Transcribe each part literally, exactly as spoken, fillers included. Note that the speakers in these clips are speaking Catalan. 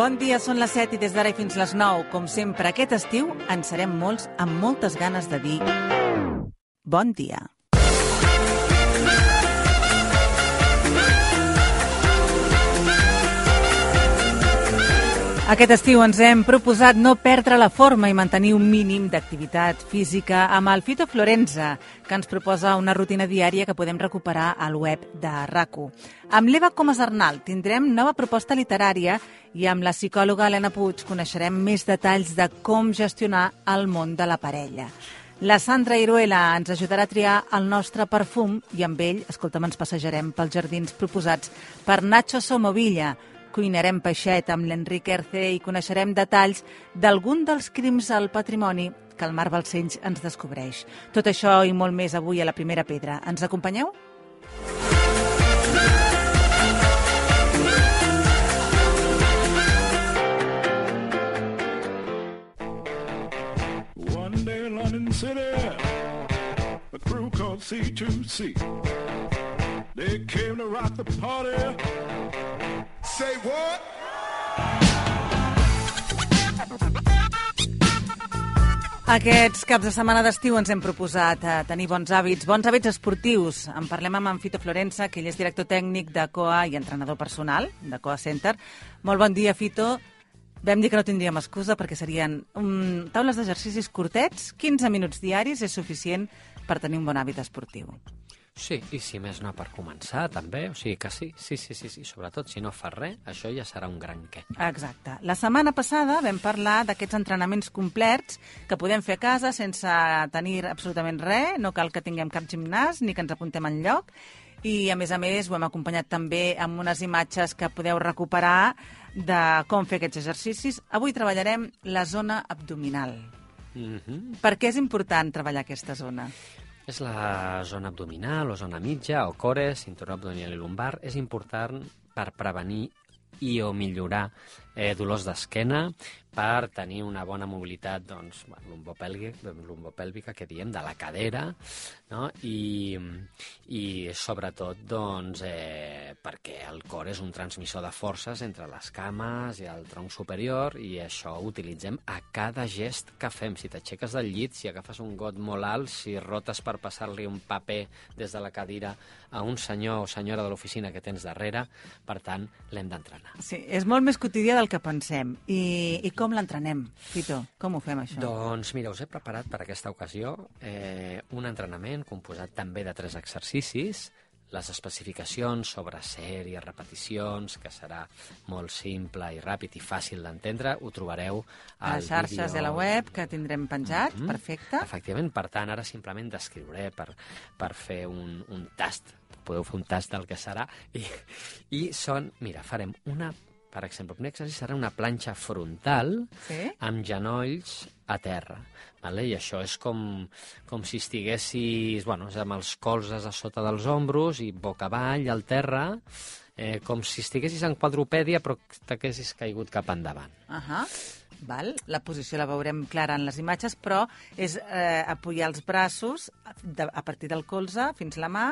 Bon dia, són les set i des d'ara i fins les nou. Com sempre, aquest estiu en serem molts amb moltes ganes de dir bon dia. Aquest estiu ens hem proposat no perdre la forma i mantenir un mínim d'activitat física amb el Fito Florenza, que ens proposa una rutina diària que podem recuperar al web de RACU. Amb l'Eva Comas Arnal tindrem nova proposta literària i amb la psicòloga Helena Puig coneixerem més detalls de com gestionar el món de la parella. La Sandra Iruela ens ajudarà a triar el nostre perfum i amb ell, escolta'm, ens passejarem pels jardins proposats per Nacho Somovilla. Cuinarem peixet amb l'Enric Erce i coneixerem detalls d'algun dels crims al patrimoni que el Mar Balcells ens descobreix. Tot això i molt més avui a la Primera Pedra. Ens acompanyeu? One day in London City, a crew called C two C. They came to rock the party. Say what? Aquests caps de setmana d'estiu ens hem proposat a tenir bons hàbits, bons hàbits esportius. En parlem amb en Fito Florenza, que ell és director tècnic de C O A i entrenador personal de C O A Center. Molt bon dia, Fito. Vam dir que no tindríem excusa perquè serien um, taules d'exercicis curtets, quinze minuts diaris és suficient per tenir un bon hàbit esportiu. Sí, i si més no per començar, també. O sigui que sí, sí, sí, sí, sí. Sobretot si no fas res, això ja serà un gran què. Exacte. La setmana passada vam parlar d'aquests entrenaments complets que podem fer a casa sense tenir absolutament res, no cal que tinguem cap gimnàs ni que ens apuntem enlloc. I, a més a més, ho hem acompanyat també amb unes imatges que podeu recuperar de com fer aquests exercicis. Avui treballarem la zona abdominal. Mm-hmm. Per què és important treballar aquesta zona? És la zona abdominal o zona mitja o core, cinturó abdominal i lumbar. És important per prevenir i o millorar eh, dolors d'esquena, per tenir una bona mobilitat doncs, lumbopèlvica, lumbopèlvica, que diem, de la cadera, no? I, i sobretot doncs, eh, perquè el cor és un transmissor de forces entre les cames i el tronc superior, i això ho utilitzem a cada gest que fem. Si t'aixeques del llit, si agafes un got molt alt, si rotes per passar-li un paper des de la cadira a un senyor o senyora de l'oficina que tens darrere, per tant, l'hem d'entrenar. Sí, és molt més quotidià del que pensem. I, i com l'entrenem, Fito? Com ho fem, això? Doncs mira, us he preparat per aquesta ocasió eh, un entrenament composat també de tres exercicis, les especificacions sobre sèries, repeticions, que serà molt simple i ràpid i fàcil d'entendre, ho trobareu a les xarxes vídeo de la web que tindrem penjat, mm-hmm. Perfecte. Efectivament, per tant, ara simplement descriuré per, per fer un, un tast, podeu fer un tast del que serà, i, i són, mira, farem una, per exemple, un exercici serà una planxa frontal, sí? Amb genolls a terra. Vale? I això és com, com si estiguessis, bueno, amb els colzes a sota dels ombros i boca avall al terra, eh, com si estiguessis en quadrupèdia però t'haguessis caigut cap endavant. Ahà. Val. La posició la veurem clara en les imatges, però és eh, apoyar els braços de, a partir del colze fins la mà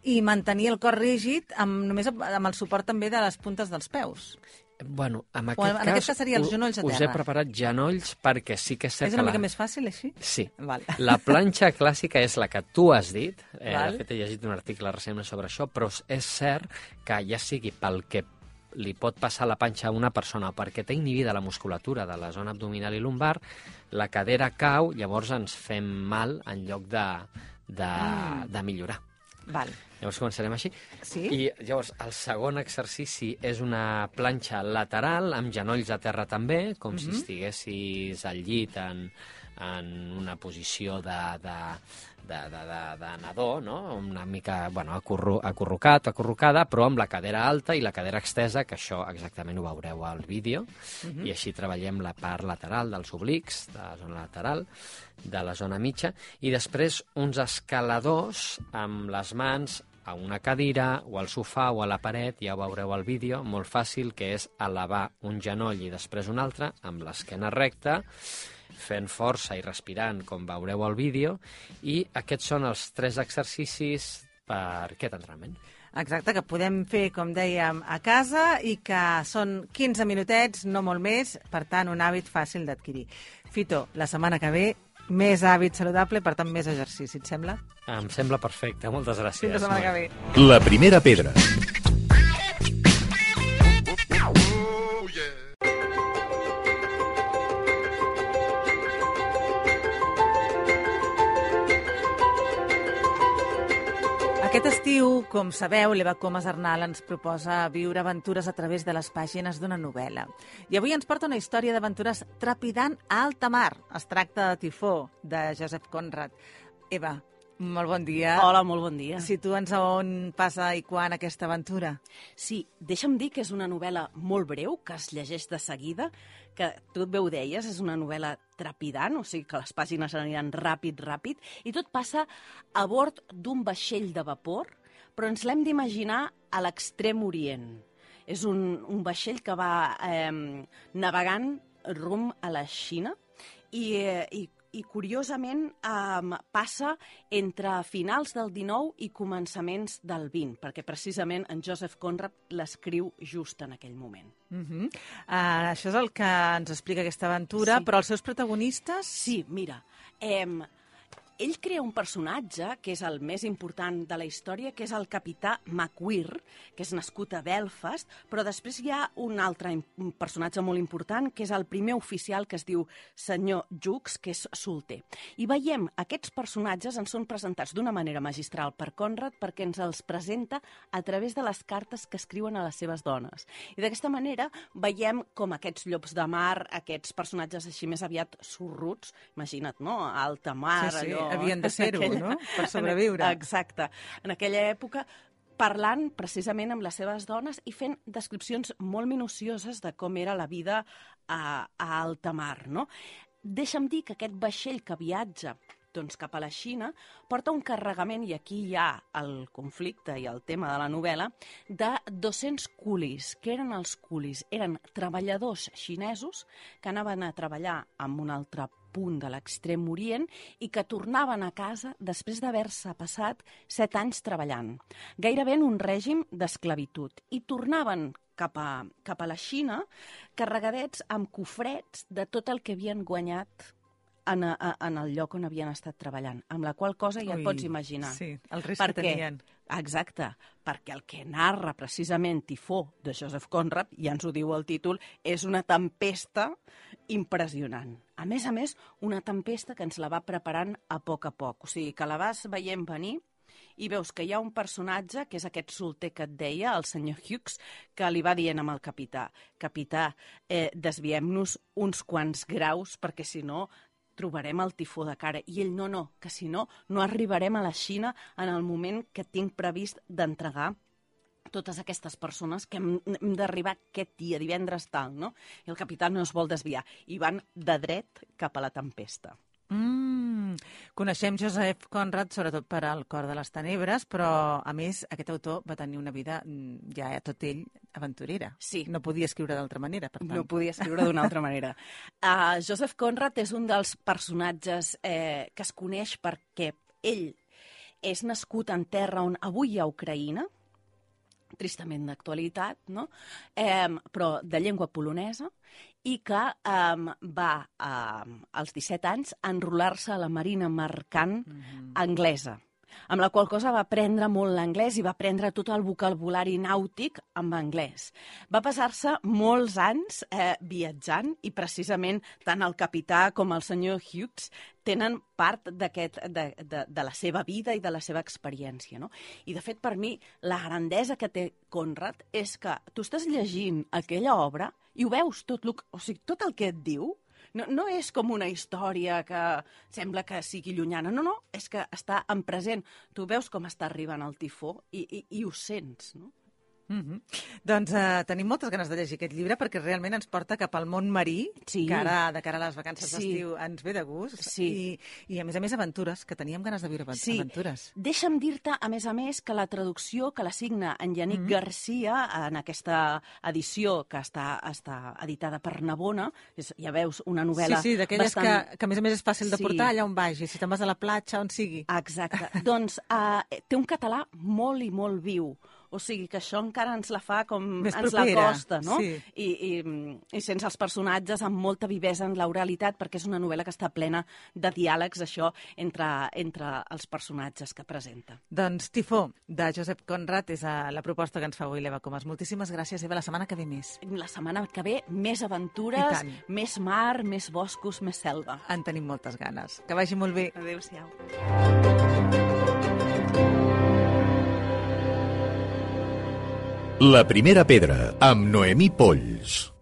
i mantenir el cor rígid amb, només amb el suport també de les puntes dels peus. Bueno, en aquest, en cas, aquest cas seria els genolls a terra. Us he preparat genolls perquè sí que és cert És una que mica la... més fàcil, així? Sí. Val. La planxa clàssica és la que tu has dit. Eh, Val. de fet, he llegit un article recentment sobre això, però és cert que ja sigui pel que li pot passar la panxa a una persona o perquè té inhibida la musculatura de la zona abdominal i lumbar, la cadera cau, llavors ens fem mal en lloc de, de, mm. de millorar. Val. Llavors començarem així. Sí? I llavors el segon exercici és una planxa lateral amb genolls a terra també, com mm-hmm. si estiguessis al llit en, en una posició de, de, de, de, de, de nadó, no? Una mica, bueno, acurru, acurrucat, acurrucada, però amb la cadera alta i la cadera extesa, que això exactament ho veureu al vídeo, mm-hmm. i així treballem la part lateral dels oblics, de la zona lateral, de la zona mitja, i després uns escaladors amb les mans a una cadira o al sofà o a la paret, ja ho veureu al vídeo, molt fàcil, que és elevar un genoll i després un altre, amb l'esquena recta, fent força i respirant, com veureu al vídeo, i aquests són els tres exercicis per aquest entrenament. Exacte, que podem fer, com dèiem, a casa i que són quinze minutets, no molt més, per tant, un hàbit fàcil d'adquirir. Fito, la setmana que ve, més hàbit saludable, per tant, més exercici, et sembla? Em sembla perfecte, moltes gràcies. Fins la setmana que ve. La primera pedra. Aquest estiu, com sabeu, l'Eva Comas Arnal ens proposa viure aventures a través de les pàgines d'una novel·la. I avui ens porta una història d'aventures trepidant a alta mar. Es tracta de Tifó, de Joseph Conrad. Eva, molt bon dia. Hola, molt bon dia. Situa'ns a on passa i quan aquesta aventura. Sí, deixa'm dir que és una novel·la molt breu, que es llegeix de seguida, que tu bé ho deies, és una novel·la trepidant, o sigui que les pàgines aniran ràpid, ràpid, i tot passa a bord d'un vaixell de vapor, però ens l'hem d'imaginar a l'extrem orient. És un, un vaixell que va eh, navegant rumb a la Xina i, eh, i i curiosament um, passa entre finals del dinou i començaments del vint, perquè precisament en Joseph Conrad l'escriu just en aquell moment. Uh -huh. uh, això és el que ens explica aquesta aventura, Sí. però els seus protagonistes... Sí, mira, eh, ell crea un personatge que és el més important de la història, que és el capità McWhirr, que és nascut a Belfast, però després hi ha un altre un personatge molt important, que és el primer oficial, que es diu senyor Jukes, que és solter. I veiem, aquests personatges ens són presentats d'una manera magistral per Conrad, perquè ens els presenta a través de les cartes que escriuen a les seves dones. I d'aquesta manera veiem com aquests llops de mar, aquests personatges així més aviat sorruts, imagina't, no?, a alta mar, Sí, sí, allò... havien de ser-ho, aquella- no?, per sobreviure. Exacte. En aquella època, parlant precisament amb les seves dones i fent descripcions molt minucioses de com era la vida a, a alta mar, no? Deixa'm dir que aquest vaixell que viatja doncs, cap a la Xina porta un carregament, i aquí hi ha el conflicte i el tema de la novel·la, de dos-cents culis. Què eren els culis? Eren treballadors xinesos que anaven a treballar en un altre punt de l'extrem orient i que tornaven a casa després d'haver-se passat set anys treballant, gairebé en un règim d'esclavitud, i tornaven cap a, cap a la Xina carregadets amb cofrets de tot el que havien guanyat en, a, en el lloc on havien estat treballant, amb la qual cosa ja Ui, et pots imaginar. Sí, el risc Per que què? tenien. Exacte, perquè el que narra precisament Tifó de Joseph Conrad, ja ens ho diu el títol, és una tempesta impressionant. A més a més, una tempesta que ens la va preparant a poc a poc. O sigui, que la vas veient venir i veus que hi ha un personatge, que és aquest solter que et deia, el senyor Hughes, que li va dient amb el capità, capità, eh, desviem-nos uns quants graus, perquè si no trobarem el tifó de cara. I ell, no, no, que si no, no arribarem a la Xina en el moment que tinc previst d'entregar totes aquestes persones que hem, hem d'arribar aquest dia, divendres tal, no? I el capità no es vol desviar. I van de dret cap a la tempesta. Mm. Coneixem Joseph Conrad sobretot per al Cor de les Tenebres, però, a més, aquest autor va tenir una vida mm, ja tot ell aventurera. Sí. No podia escriure d'altra manera, per tant. No podia escriure d'una altra manera. Uh, Joseph Conrad és un dels personatges eh, que es coneix perquè ell és nascut en terra on avui hi ha Ucraïna, tristament d'actualitat, no? eh, però de llengua polonesa, i que eh, va eh, als disset anys enrolar-se a la marina mercant mm-hmm. anglesa, amb la qual cosa va aprendre molt l'anglès i va aprendre tot el vocabulari nàutic amb anglès. Va passar-se molts anys eh, viatjant i precisament tant el capità com el senyor Hughes tenen part d'aquest de, de, de la seva vida i de la seva experiència, no? I, de fet, per mi, la grandesa que té Conrad és que tu estàs llegint aquella obra i ho veus tot, lo, o sigui, tot el que et diu. No, no és com una història que sembla que sigui llunyana. No, no, és que està en present. Tu veus com està arribant el tifó i, i, i ho sents, no? Mm-hmm. Doncs uh, tenim moltes ganes de llegir aquest llibre perquè realment ens porta cap al món marí, Sí. que ara, de cara a les vacances Sí. d'estiu, ens ve de gust. Sí. I, I, a més a més, aventures, que teníem ganes de viure avent- Sí. aventures. Deixa'm dir-te, a més a més, que la traducció que la signa en Yannick Mhm. Garcia en aquesta edició que està, està editada per Navona, és, ja veus, una novel·la Sí, sí, d'aquelles bastant... que, que a més a més és fàcil de Sí. portar allà on vagi, si te'n vas a la platja, on sigui. Exacte. Doncs uh, té un català molt i molt viu. O sigui que això encara ens la fa com... Més ens propera, la costa, no? sí. I, i, I sense els personatges, amb molta vivesa en l'oralitat, perquè és una novel·la que està plena de diàlegs, això, entre, entre els personatges que presenta. Doncs Tifó, de Josep Conrad, és la proposta que ens fa avui l'Eva Comas. Moltíssimes gràcies, Eva. La setmana que ve més. La setmana que ve, més aventures, més mar, més boscos, més selva. En tenim moltes ganes. Que vagi molt bé. Adéu-siau. La primera pedra, amb Noemí Polls.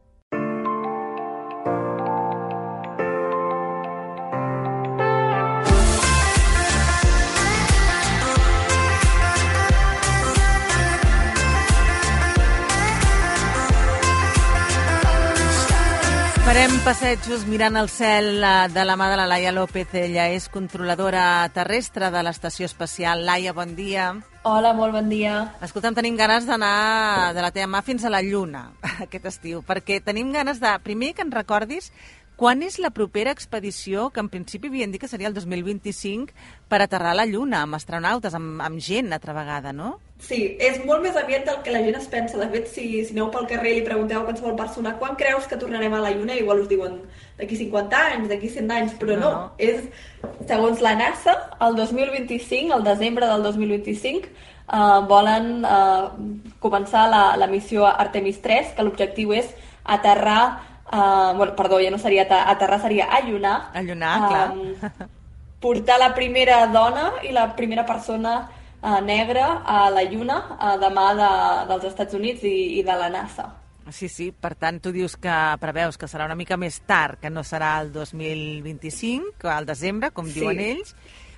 Farem passejos mirant el cel de la mà de la Laia López. Ella és controladora terrestre de l'Estació Espacial. Laia, bon dia. Hola, molt bon dia. Escolta'm, tenim ganes d'anar de la teva mà fins a la Lluna aquest estiu, perquè tenim ganes de, primer, que ens recordis quan és la propera expedició, que en principi havien dit que seria el dos mil vint-i-cinc, per aterrar a la Lluna, amb astronautes, amb, amb gent altra vegada, no? Sí, és molt més aviat del que la gent es pensa. De fet, si, si aneu pel carrer i li pregunteu a qualsevol persona quan creus que tornarem a la Lluna, igual us diuen d'aquí cinquanta anys, d'aquí cent anys, però no, no. És, segons la NASA, el dos mil vint-i-cinc, el desembre del dos mil vint-i-cinc, eh, volen eh, començar la, la missió Artemis tres, que l'objectiu és aterrar, eh, bueno, perdó, ja no seria aterrar, seria allunar. Allunar, eh, clar. Portar la primera dona i la primera persona Uh, negra a la Lluna uh, de mà de, dels Estats Units i, i de la NASA. Sí, sí, per tant, tu dius que preveus que serà una mica més tard, que no serà el dos mil vint-i-cinc, al desembre, com sí. diuen ells,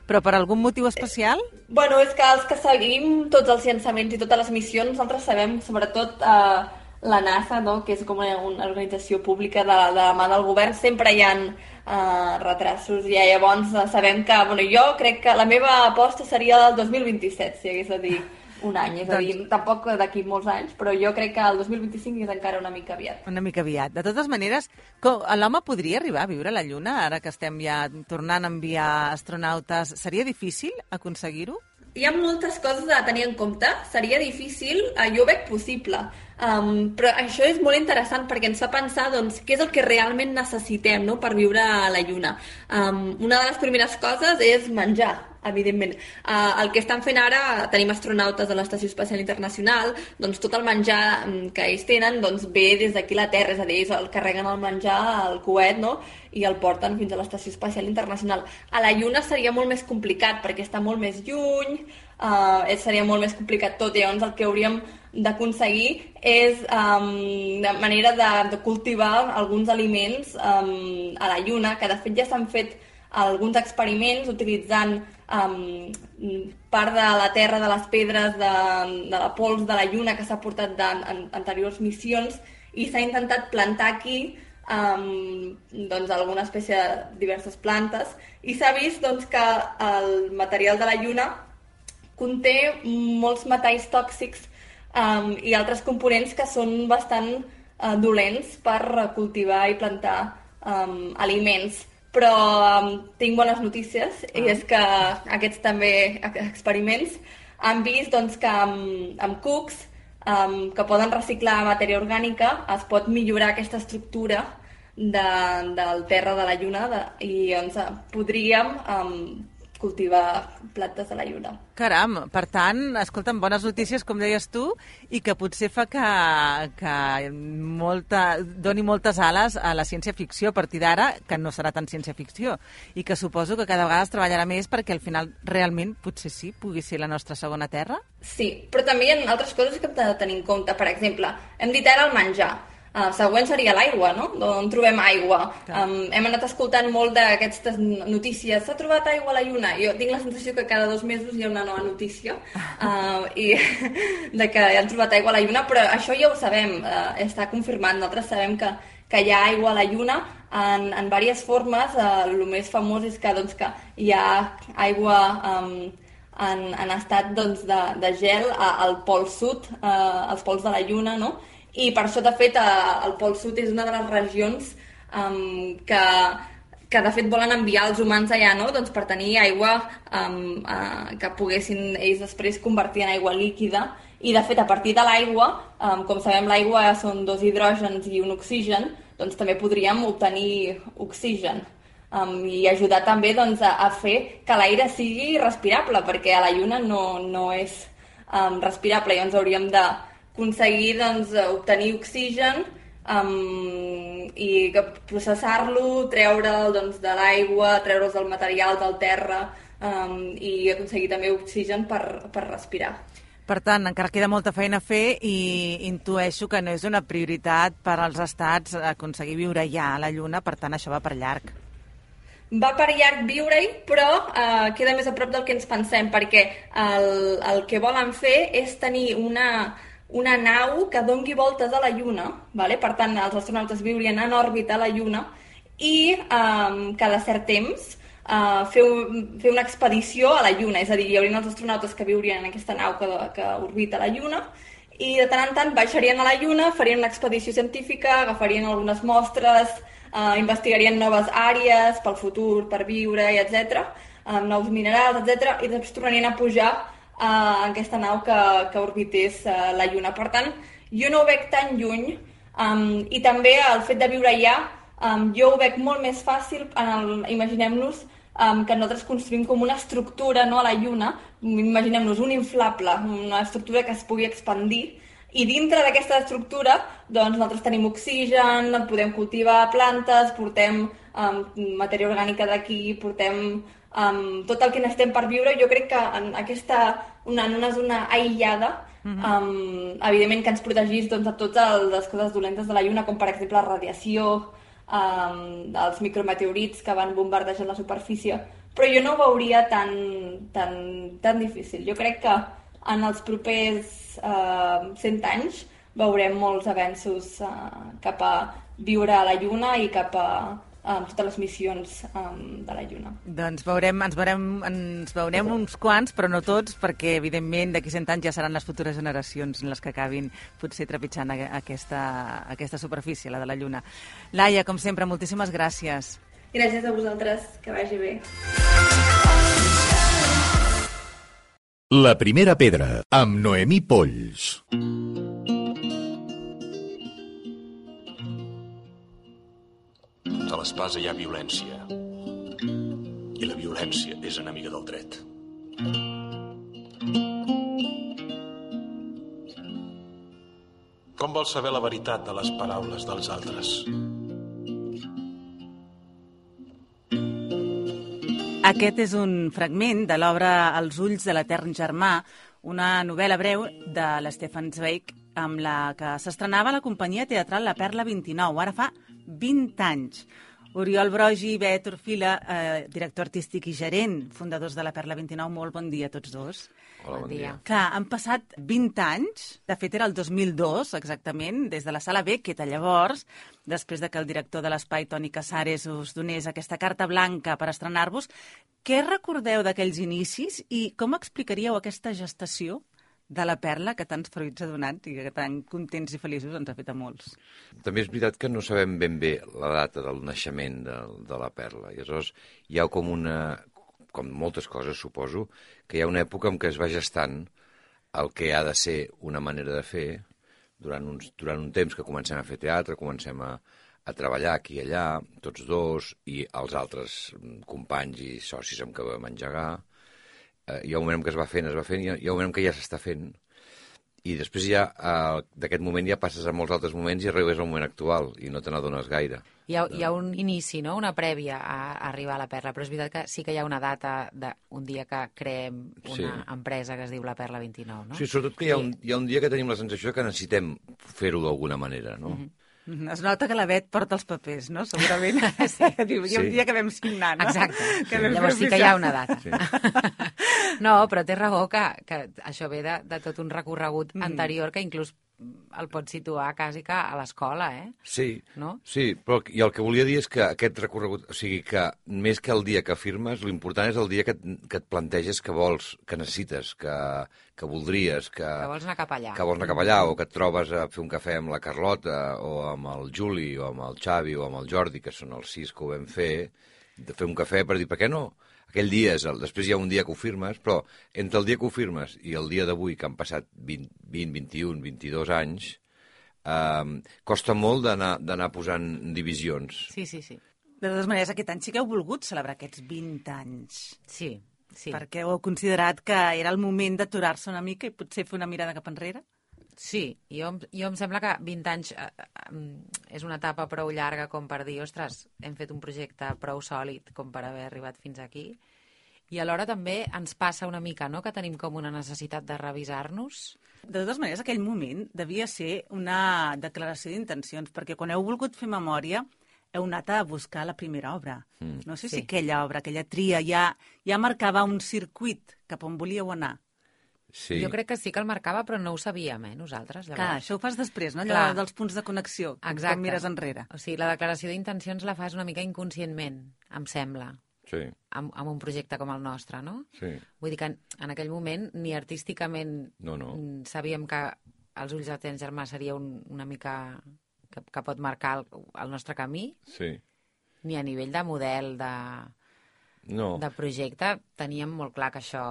però per algun motiu especial? Eh, bueno, és que els que seguim tots els llançaments i totes les missions, nosaltres sabem, sobretot uh, la NASA, no? Que és com una, una organització pública de, de la mà del govern, sempre hi ha Uh, retrasos, i llavors uh, sabem que, bueno, jo crec que la meva aposta seria el dos mil vint-i-set, si hagués de dir un any, és a dir, doncs... tampoc d'aquí molts anys, però jo crec que el dos mil vint-i-cinc és encara una mica aviat. Una mica aviat. De totes maneres, l'home podria arribar a viure a la Lluna, ara que estem ja tornant a enviar astronautes, seria difícil aconseguir-ho? Hi ha moltes coses a tenir en compte, seria difícil, uh, jo ho veig possible, um, però això és molt interessant perquè ens fa pensar, doncs, què és el que realment necessitem, no?, per viure a la Lluna. Um, una de les primeres coses és menjar, evidentment. Uh, el que estan fent ara, tenim astronautes a l'Estació Espacial Internacional, doncs tot el menjar que ells tenen doncs, ve des d'aquí a la Terra, és a dir, ells el carreguen el menjar al coet, no?, i el porten fins a l'Estació Espacial Internacional. A la Lluna seria molt més complicat perquè està molt més lluny, uh, seria molt més complicat tot, i llavors el que hauríem d'aconseguir és um, de manera de, de cultivar alguns aliments um, a la Lluna, que de fet ja s'han fet alguns experiments utilitzant um, part de la terra, de les pedres, de, de la pols de la Lluna que s'ha portat d'anteriors missions, i s'ha intentat plantar aquí um, doncs, alguna espècie de diverses plantes, i s'ha vist doncs, que el material de la Lluna conté molts metalls tòxics um, i altres components que són bastant uh, dolents per cultivar i plantar um, aliments. Però um, tinc bones notícies, ah. i és que aquests també experiments han vist doncs, que amb, amb cucs um, que poden reciclar matèria orgànica es pot millorar aquesta estructura de, del terra de la Lluna de, i doncs, podríem um, cultivar plantes a la Lluna. Caram, per tant, escolta'm, bones notícies, com deies tu, i que potser fa que, que molta, doni moltes ales a la ciència-ficció a partir d'ara, que no serà tant ciència-ficció, i que suposo que cada vegada es treballarà més perquè al final realment potser sí pugui ser la nostra segona terra? Sí, però també hi ha altres coses que hem de tenir en compte. Per exemple, hem dit ara el menjar. Uh, següent seria l'aigua, no? On trobem aigua. Um, hem anat escoltant molt d'aquestes notícies. S'ha trobat aigua a la Lluna. Jo tinc la sensació que cada dos mesos hi ha una nova notícia uh, i de que han trobat aigua a la Lluna, però això ja ho sabem, uh, està confirmat. Nosaltres sabem que, que hi ha aigua a la Lluna en, en diverses formes. Uh, el més famós és que, doncs, que hi ha aigua um, en, en estat doncs, de, de gel al pol sud, uh, als pols de la Lluna, no? I per això, de fet, el Pol Sud és una de les regions um, que, que de fet volen enviar els humans allà, no?, doncs per tenir aigua um, uh, que poguessin ells després convertir en aigua líquida. I, de fet, a partir de l'aigua, um, com sabem, l'aigua són dos hidrògens i un oxigen, doncs també podríem obtenir oxigen um, i ajudar també doncs, a, a fer que l'aire sigui respirable, perquè a la Lluna no, no és um, respirable. Llavors hauríem d'aconseguir doncs, obtenir oxigen um, i processar-lo, treure'l doncs, de l'aigua, treure'ls del material, del terra um, i aconseguir també oxigen per, per respirar. Per tant, encara queda molta feina a fer i intueixo que no és una prioritat per als estats aconseguir viure allà a la Lluna, per tant, això va per llarg. Va per llarg viure-hi, però eh, queda més a prop del que ens pensem, perquè el, el que volen fer és tenir una, una nau que dongui voltes a la Lluna, vale? Per tant, els astronautes viurien en òrbita a la Lluna i eh, cada cert temps Uh, fer, un, fer una expedició a la Lluna, és a dir, hi haurien els astronautes que viurien en aquesta nau que, que orbita la Lluna i de tant en tant baixarien a la Lluna, farien una expedició científica, agafarien algunes mostres, uh, investigarien noves àrees pel futur, per viure, i etcètera, uh, nous minerals, etcètera, i després tornarien a pujar uh, en aquesta nau que, que orbités uh, la Lluna. Per tant, jo no ho veig tan lluny um, i també el fet de viure allà Um, jo ho veig molt més fàcil, en el, imaginem-nos um, que nosaltres construïm com una estructura, no, a la Lluna, imaginem-nos un inflable, una estructura que es pugui expandir, i dintre d'aquesta estructura doncs, nosaltres tenim oxigen, podem cultivar plantes, portem um, matèria orgànica d'aquí, portem um, tot el que necessitem per viure. Jo crec que en, aquesta, una, en una zona aïllada, uh-huh. um, evidentment que ens protegís doncs, de totes les coses dolentes de la Lluna, com per exemple la radiació, Um, dels micrometeorits que van bombardejant la superfície, però jo no ho veuria tan, tan, tan difícil. Jo crec que en els propers uh, cent anys veurem molts avenços uh, cap a viure a la Lluna i cap a um, totes les missions um, de la Lluna. Doncs veurem, ens, veurem, ens veurem uns quants, però no tots, perquè evidentment d'aquí cent anys ja seran les futures generacions les que acabin potser trepitjant aquesta, aquesta superfície, la de la Lluna. Laia, com sempre, moltíssimes gràcies. Gràcies a vosaltres, que vagi bé. La primera pedra, amb Noemí Polls. A l'espasa hi ha violència i la violència és enemiga del dret. Com vols saber la veritat de les paraules dels altres? Aquest és un fragment de l'obra Els ulls de l'etern germà, una novel·la breu de l'Stefan Zweig, amb la que s'estrenava a la companyia teatral La Perla vint-i-nou, ara fa vint anys. Oriol Brogi i Bet Orfila, eh, director artístic i gerent, fundadors de La Perla vint-i-nou, molt bon dia a tots dos. Hola, bon dia. Clar, han passat vint anys, de fet era el dos mil dos, exactament, des de la Sala Beckett, llavors, després de que el director de l'Espai, Toni Casares, us donés aquesta carta blanca per estrenar-vos. Què recordeu d'aquells inicis i com explicaríeu aquesta gestació de la Perla que tants fruits ha donat i que tan contents i feliços ens ha fet a molts? També és veritat que no sabem ben bé la data del naixement de, de la Perla. I aleshores hi ha com una, com moltes coses suposo, que hi ha una època en què es va gestant el que ha de ser una manera de fer durant, uns, durant un temps que comencem a fer teatre, comencem a, a treballar aquí i allà, tots dos, i els altres companys i socis amb què vam engegar. Hi ha un moment en què es va fent, es va fent, i hi ha un moment en què ja s'està fent, i després ja, eh, d'aquest moment ja passes a molts altres moments i arribes al moment actual, i no te n'adones gaire. Hi ha, hi ha un inici, no?, una prèvia a, a arribar a la Perla, però és veritat que sí que hi ha una data d'un dia que creem una sí. empresa que es diu La Perla vint-i-nou, no? Sí, sobretot que hi ha, un, hi ha un dia que tenim la sensació que necessitem fer-ho d'alguna manera, no? Mm-hmm. Es nota que la Bet porta els papers, no? Segurament. Sí. Diu, hi ha un dia que vam signar, no? Exacte. Que vam Llavors sí que hi ha una data. Sí. No, però té raó que, que això ve de, de tot un recorregut mm. anterior que inclús el pot situar quasi que a l'escola, eh? Sí, no? sí, però i el que volia dir és que aquest recorregut, o sigui, que més que el dia que firmes, l'important és el dia que, que et planteges que vols, que necessites, que, que voldries, que... Que vols anar cap allà. Que vols anar cap allà, o que et trobes a fer un cafè amb la Carlota, o amb el Juli, o amb el Xavi, o amb el Jordi, que són els sis que ho vam fer, de fer un cafè per dir, per què no? Aquell dia, és el, després hi ha un dia que ho firmes, però entre el dia que ho firmes i el dia d'avui, que han passat vint, vint, vint-i-un, vint-i-dos anys, eh, costa molt d'anar posant divisions. Sí, sí, sí. De totes maneres, aquest any sí que heu volgut celebrar aquests vint anys. Sí, sí. Perquè heu considerat que era el moment d'aturar-se una mica i potser fer una mirada cap enrere? Sí, jo, jo em sembla que vint anys eh, eh, és una etapa prou llarga com per dir, ostres, hem fet un projecte prou sòlid com per haver arribat fins aquí. I alhora també ens passa una mica, no?, que tenim com una necessitat de revisar-nos. De totes maneres, aquell moment devia ser una declaració d'intencions, perquè quan heu volgut fer memòria heu anat a buscar la primera obra. Mm. No sé sí. si aquella obra, aquella tria, ja, ja marcava un circuit cap on volíeu anar. Sí. Jo crec que sí que el marcava, però no ho sabíem, eh, nosaltres. Llavors. Clar, això ho fas després, no? Allò Clar. dels punts de connexió, Exacte. com mires enrere. O sigui, la declaració d'intencions la fas una mica inconscientment, em sembla, sí. amb, amb un projecte com el nostre, no? Sí. Vull dir que en, en aquell moment ni artísticament no, no. sabíem que Els ulls de Tens germà seria un, una mica que, que pot marcar el, el nostre camí, sí. ni a nivell de model, de... No. de projecte, teníem molt clar que això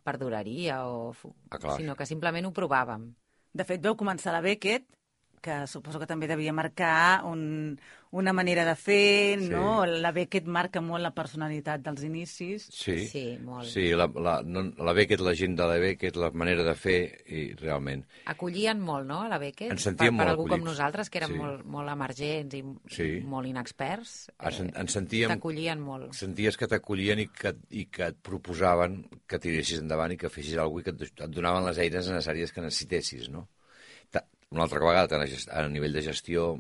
perduraria, o... ah, sinó que simplement ho provàvem. De fet, vau començar la Beckett, que suposo que també devia marcar un, una manera de fer, sí. no? La Beckett marca molt la personalitat dels inicis. Sí, sí molt. Sí, la, la, no, la Beckett, la gent de la Beckett, la manera de fer, i realment... Acollien molt, no?, la Beckett? Ens sentíem per, per molt algú acollits. Com nosaltres, que érem sí. molt, molt emergents i sí. molt inexperts. Eh, ens sentíem... T'acollien molt. Senties que t'acollien i, que, i que et proposaven que tiressis endavant i que fessis alguna cosa i que et, et donaven les eines necessàries que necessitessis, no? Una altra vegada, tant a, a nivell de gestió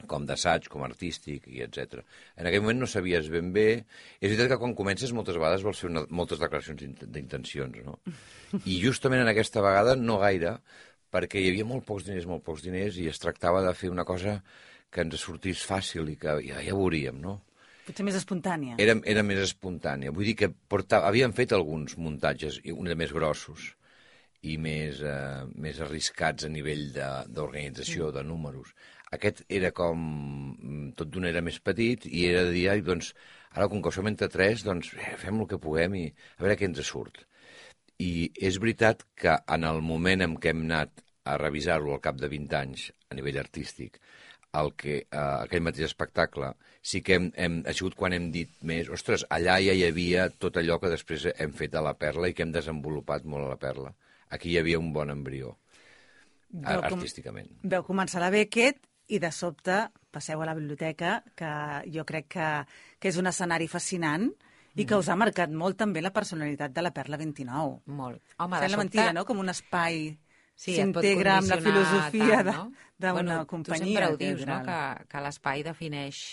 com d'assaig, com artístic, i etcètera. En aquell moment no sabies ben bé... És veritat que quan comences moltes vegades vols fer una, moltes declaracions d'intencions, no? I justament en aquesta vegada no gaire, perquè hi havia molt pocs diners, molt pocs diners, i es tractava de fer una cosa que ens sortís fàcil i que ja, ja veuríem, no? Potser més espontània. Era, era més espontània. Vull dir que portava, havíem fet alguns muntatges, un de més grossos, i més, eh, més arriscats a nivell d'organització, de, de números. Aquest era com... Tot d'una era més petit i era de dir, ai, doncs, ara com que som entre tres, doncs eh, fem el que puguem i a veure què ens surt. I és veritat que en el moment en què hem anat a revisar-ho al cap de vint anys, a nivell artístic, el que, eh, aquell mateix espectacle, sí que hem, hem, ha sigut quan hem dit més, ostres, allà ja hi havia tot allò que després hem fet a la Perla i que hem desenvolupat molt a la Perla. Aquí hi havia un bon embrió, veu artísticament. Com, veu començar la Beckett i de sobte passeu a la biblioteca, que jo crec que, que és un escenari fascinant i que us ha marcat molt també la personalitat de la Perla vint-i-nou. Molt. Home, Sent de la sobte... mentida, no? Com un espai sí, s'integra amb la filosofia d'una no? bueno, companyia. Tu sempre ho dius, no?, que, que l'espai defineix...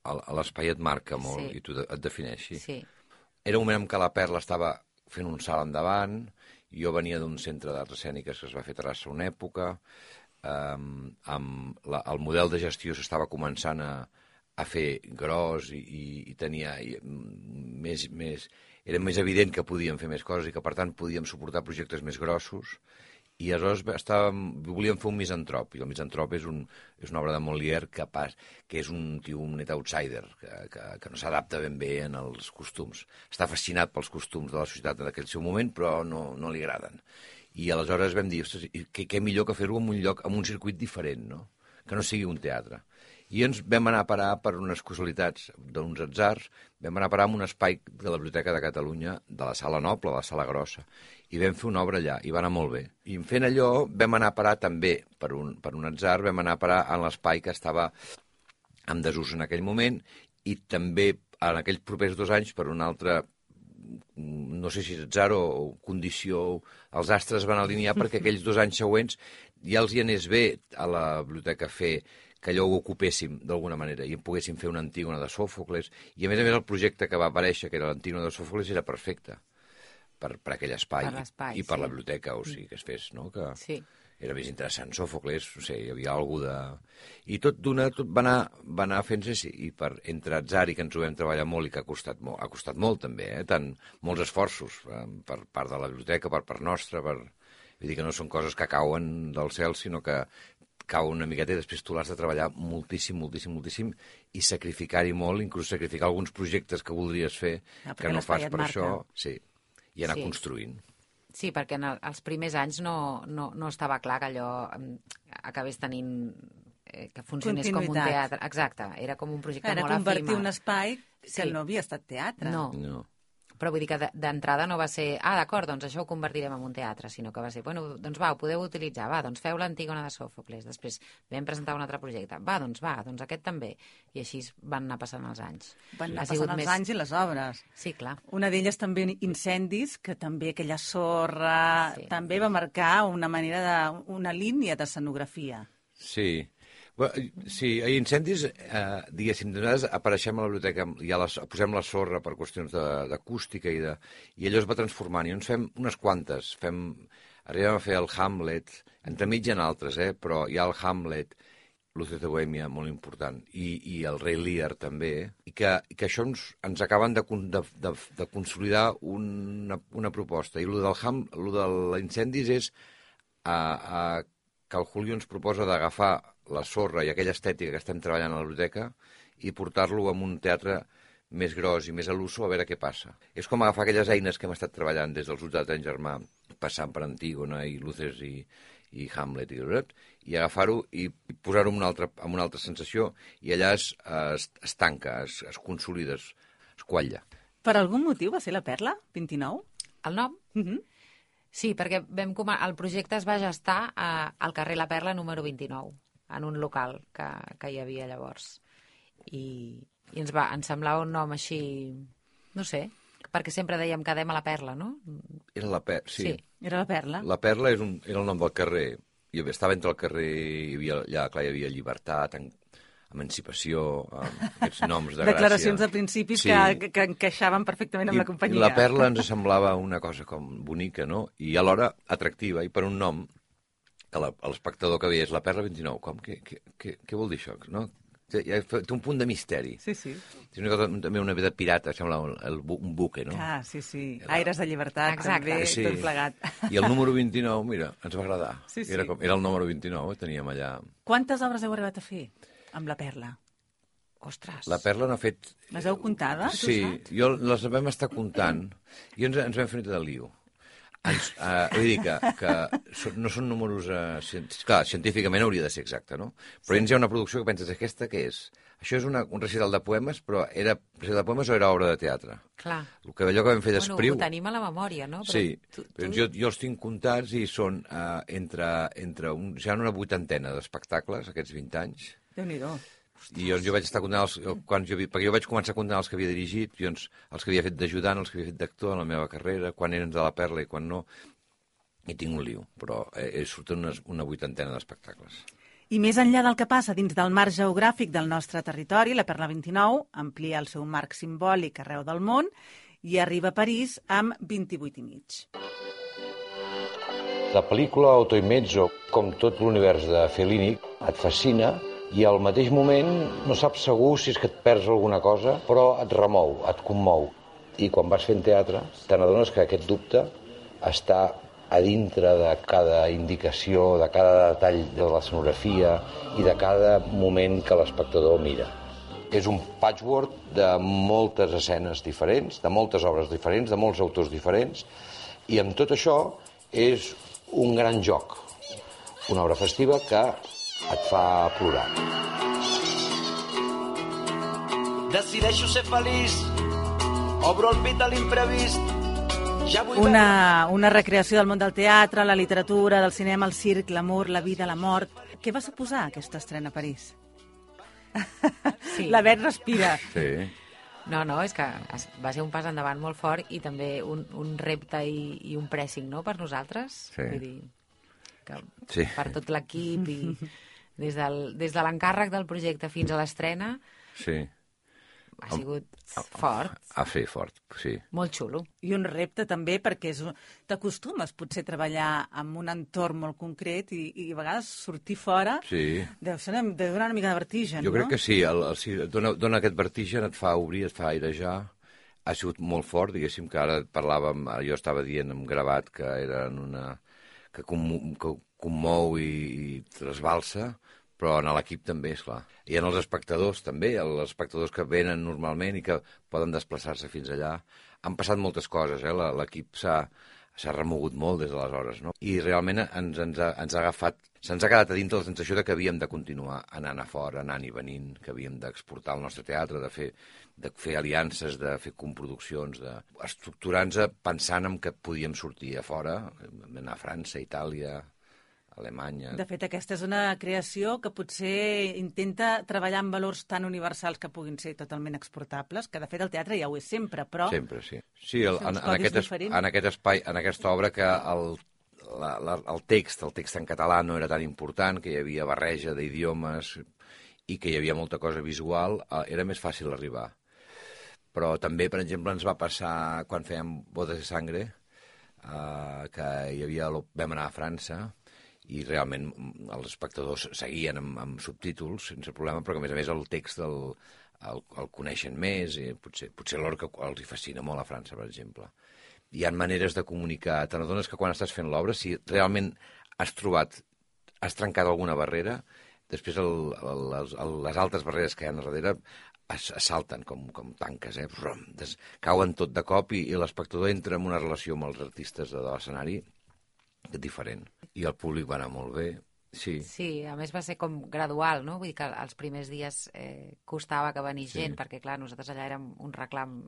L'espai et marca molt sí. i tu et defineixi. Sí. Era un moment en què la Perla estava fent un salt endavant. Jo venia d'un centre d'arts escèniques que es va fer a Terrassa una època, um, amb la, el model de gestió s'estava començant a, a fer gros i, i, i tenia i, més, més... Era més evident que podíem fer més coses i que, per tant, podíem suportar projectes més grossos. I aleshores estàvem, volíem fer un misantrop, i el misantrop és, un, és una obra de Molière que, pas, que és un tio, un net outsider, que, que, que no s'adapta ben bé en els costums. Està fascinat pels costums de la societat en aquell seu moment, però no, no li agraden. I aleshores vam dir, ostres, què, què millor que fer-ho en un lloc, en un circuit diferent, no? Que no sigui un teatre. I ens vam anar a parar per unes casualitats d'uns atzars, vam anar a parar en un espai de la Biblioteca de Catalunya, de la Sala Noble, la Sala Grossa, i vam fer una obra allà, i va anar molt bé. I fent allò vam anar a parar també, per un, per un atzar, vam anar a parar en l'espai que estava en desús en aquell moment, i també en aquells propers dos anys, per un altre, no sé si és atzar o, o condició, els astres van alinear perquè aquells dos anys següents ja els hi anés bé a la biblioteca fer que allò ho ocupéssim d'alguna manera i poguéssim fer una Antígona de Sòfocles. I a més a més el projecte que va aparèixer, que era l'Antígona de Sòfocles, era perfecte per, per aquell espai, per l'espai i per sí. la biblioteca, o sigui, que es fes, no? Que sí. Era més interessant. Sòfocles, no sé, hi havia alguna de... I tot d'una, tot va anar, va anar fent-se, sí, i per, entre atzar i que ens ho vam treballar molt i que ha costat molt, ha costat molt també, eh? Tant, molts esforços eh? per part de la biblioteca, per part nostra, per... Vull dir que no són coses que cauen del cel, sinó que cau una miqueta i després tu l'has de treballar moltíssim, moltíssim, moltíssim i sacrificar-hi molt, inclús sacrificar alguns projectes que voldries fer, Ah, perquè que no l'espai fas et per marca. això, sí, i anar Sí. construint. Sí, perquè en el, els primers anys no, no, no estava clar que allò em, acabés tenint eh, que funcionés com un Continuïtat. teatre. Exacte, era com un projecte Era molt convertir efímer. un espai que Sí. no havia estat teatre. No, No. però vull dir que de- d'entrada no va ser, ah, d'acord, doncs això ho convertirem en un teatre, sinó que va ser, bueno, doncs va, ho podeu utilitzar, va, doncs feu l'Antígona de Sòfocles, després vam presentar un altre projecte, va, doncs va, doncs aquest també, i així van anar passant els anys. Van Ha anar sigut passant els més- anys i les obres. Sí, clar. Una d'elles també incendis, que també aquella sorra Sí. també va marcar una manera de, una línia d'escenografia. Sí. Bueno, sí, a incendis, eh, diguéssim, de vegades apareixem a la biblioteca, ja les, posem la sorra per qüestions de- d'acústica i, de, i allò es va transformant. I ens fem unes quantes. Fem, arribem a fer el Hamlet, entremig en altres, eh, però hi ha el Hamlet, Luces de Bohèmia, molt important, i, i el Rei Lear també, i que, i que això ens, ens acaben de, con- de, de, de consolidar una, una proposta. I el del Ham, lo de l'incendis és a, a, que el Julio ens proposa d'agafar la sorra i aquella estètica que estem treballant a la biblioteca i portar-lo a un teatre més gros i més a l'uso a veure què passa. És com agafar aquelles eines que hem estat treballant des dels Ulls de Tren Germà, passant per Antígona i Luces i, i Hamlet i, i agafar-ho i posar-ho en una altra, en una altra sensació i allà es, es, es tanca, es, es consolida, es, es qualla. Per algun motiu va ser la Perla, vint-i-nou? El nom? Uh -huh. Sí, perquè vam com el projecte es va gestar a, al carrer La Perla número vint-i-nou, en un local que, que hi havia llavors. I, i ens, va, ens semblava un nom així, no sé, perquè sempre dèiem quedem a la Perla, no? Era la Perla, sí. Sí. Era la Perla. La Perla és un, era el nom del carrer. I estava entre el carrer, hi havia, allà, clar, hi havia llibertat, en, emancipació, eh, aquests noms de Declaracions gràcia. de principis Sí. que, que, que encaixaven perfectament amb I, la companyia. I la Perla ens semblava una cosa com bonica, no? I alhora atractiva, i per un nom que la- l'espectador que veia és la Perla vint-i-nou. Com? Què, què, què, què vol dir això? No? Té, ja té un punt de misteri. Sí, sí. És una cosa, també una vida pirata, sembla un, el, bu- un buque, no? Ah, sí, sí. Aires de llibertat, Exacte. també, Sí. tot plegat. I el número vint-i-nou, mira, ens va agradar. Sí, sí. Era, com, era el número vint-i-nou, teníem allà... Quantes obres heu arribat a fer amb la Perla? Ostres. La Perla n'ha fet... Les heu comptades? Sí, jo les vam estar comptant i ens, ens vam fer de lío. Ens, uh, vull dir que, que són, no són números... Uh, científics. Clar, científicament hauria de ser exacte, no? Però sí. Hi ha una producció que penses, aquesta què és? Això és una, un recital de poemes, però era recital de poemes o era obra de teatre? Clar. El que, allò que vam fer Bueno, d'Espriu... ho tenim a la memòria, no? Però Sí, tu, tu... però jo, jo els tinc comptats i són uh, entre, entre un, ja una vuitantena d'espectacles, aquests vint anys. Déu-n'hi-do. I jo, jo vaig estar comptant, els, quan jo, perquè jo vaig començar a comptar els que havia dirigit, doncs, els que havia fet d'ajudant, els que havia fet d'actor en la meva carrera, quan eren de la Perla i quan no, i tinc un liu, però eh, surten unes, una vuitantena d'espectacles. I més enllà del que passa dins del marc geogràfic del nostre territori, la Perla vint-i-nou amplia el seu marc simbòlic arreu del món i arriba a París amb vint-i-vuit i mig. La pel·lícula Otto i Mezzo, com tot l'univers de Fellini, et fascina i al mateix moment no saps segur si és que et perds alguna cosa, però et remou, et commou. I quan vas fent teatre, te n'adones que aquest dubte està a dintre de cada indicació, de cada detall de l'escenografia i de cada moment que l'espectador mira. És un patchwork de moltes escenes diferents, de moltes obres diferents, de molts autors diferents, i amb tot això és un gran joc, una obra festiva que et fa plorar. Decideixo ser feliç, obro el pit a l'imprevist, ja vull Una, una recreació del món del teatre, la literatura, del cinema, el circ, l'amor, la vida, la mort. Què va suposar aquesta estrena a París? Sí. La Bet respira. Sí. No, no, és que es- va ser un pas endavant molt fort i també un, un repte i, i un pressing, no?, per nosaltres. Sí. Vull dir, que Sí. per tot l'equip i des, del, des de l'encàrrec del projecte fins a l'estrena Sí. ha sigut fort, A fer fort, sí. molt xulo. I un repte també perquè és un- t'acostumes potser a treballar en un entorn molt concret i, i a vegades sortir fora Sí. deu, ser una, deu donar una mica de vertigen, Jo no? crec que sí, el, el, sí et dona, dona aquest vertigen, et fa obrir, et fa airejar. Ha sigut molt fort, diguéssim, que ara parlàvem, jo estava dient en gravat que era en una... que, com, que commou i, i trasbalsa, però en l'equip també, és clar. I en els espectadors també, els espectadors que venen normalment i que poden desplaçar-se fins allà. Han passat moltes coses, eh? L'equip s'ha s'ha remogut molt des d'aleshores, no? I realment ens, ens, ha, ens ha agafat, se'ns ha quedat a dintre la sensació de que havíem de continuar anant a fora, anant i venint, que havíem d'exportar el nostre teatre, de fer, de fer aliances, de fer coproduccions, d'estructurar-nos pensant en que podíem sortir a fora, anar a França, Itàlia, Alemanya... De fet, aquesta és una creació que potser intenta treballar amb valors tan universals que puguin ser totalment exportables, que de fet el teatre ja ho és sempre, però... Sempre, sí. Sí, el, en, en, aquest, en aquest espai, en aquesta obra que el, la, la, el text, el text en català no era tan important, que hi havia barreja d'idiomes i que hi havia molta cosa visual, era més fàcil arribar. Però també, per exemple, ens va passar quan fèiem Bodes de Sangre, eh, que hi havia, vam anar a França, i realment els espectadors seguien amb, amb subtítols sense problema, però que a més a més el text el, el, el coneixen més, i potser, potser l'hora que els hi fascina molt a França, per exemple. Hi ha maneres de comunicar, te n'adones que quan estàs fent l'obra, si realment has trobat, has trencat alguna barrera, després el, el, les, les altres barreres que hi ha darrere es, es salten com, com tanques, eh? Des, cauen tot de cop i, i l'espectador entra en una relació amb els artistes de, de l'escenari diferent. I el públic va anar molt bé, sí. Sí, a més va ser com gradual, no? Vull dir que els primers dies eh, costava que venís Sí. gent, perquè clar, nosaltres allà érem un reclam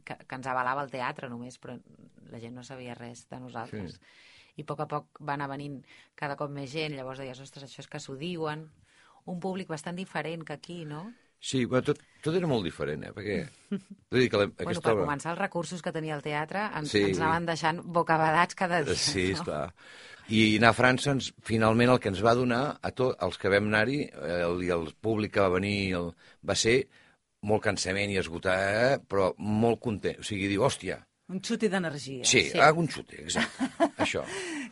que, que ens avalava el teatre només, però la gent no sabia res de nosaltres. Sí. I a poc a poc va anar venint cada cop més gent, llavors deies, ostres, això és que s'ho diuen. Un públic bastant diferent que aquí, no? Sí, bueno, tot, tot era molt diferent, eh? Perquè... Vull dir que la, Bueno, aquesta per obra... començar, els recursos que tenia el teatre ens, Sí. ens anaven deixant bocabadats cada dia. Sí, no? esclar. I anar a França, ens, finalment, el que ens va donar a tots els que vam anar-hi, el, i el públic que va venir, el, va ser molt cansament i esgotar, eh? Però molt content. O sigui, diu, hòstia... Un xuti d'energia. Sí, sí. Ah, un xuti, exacte. Això.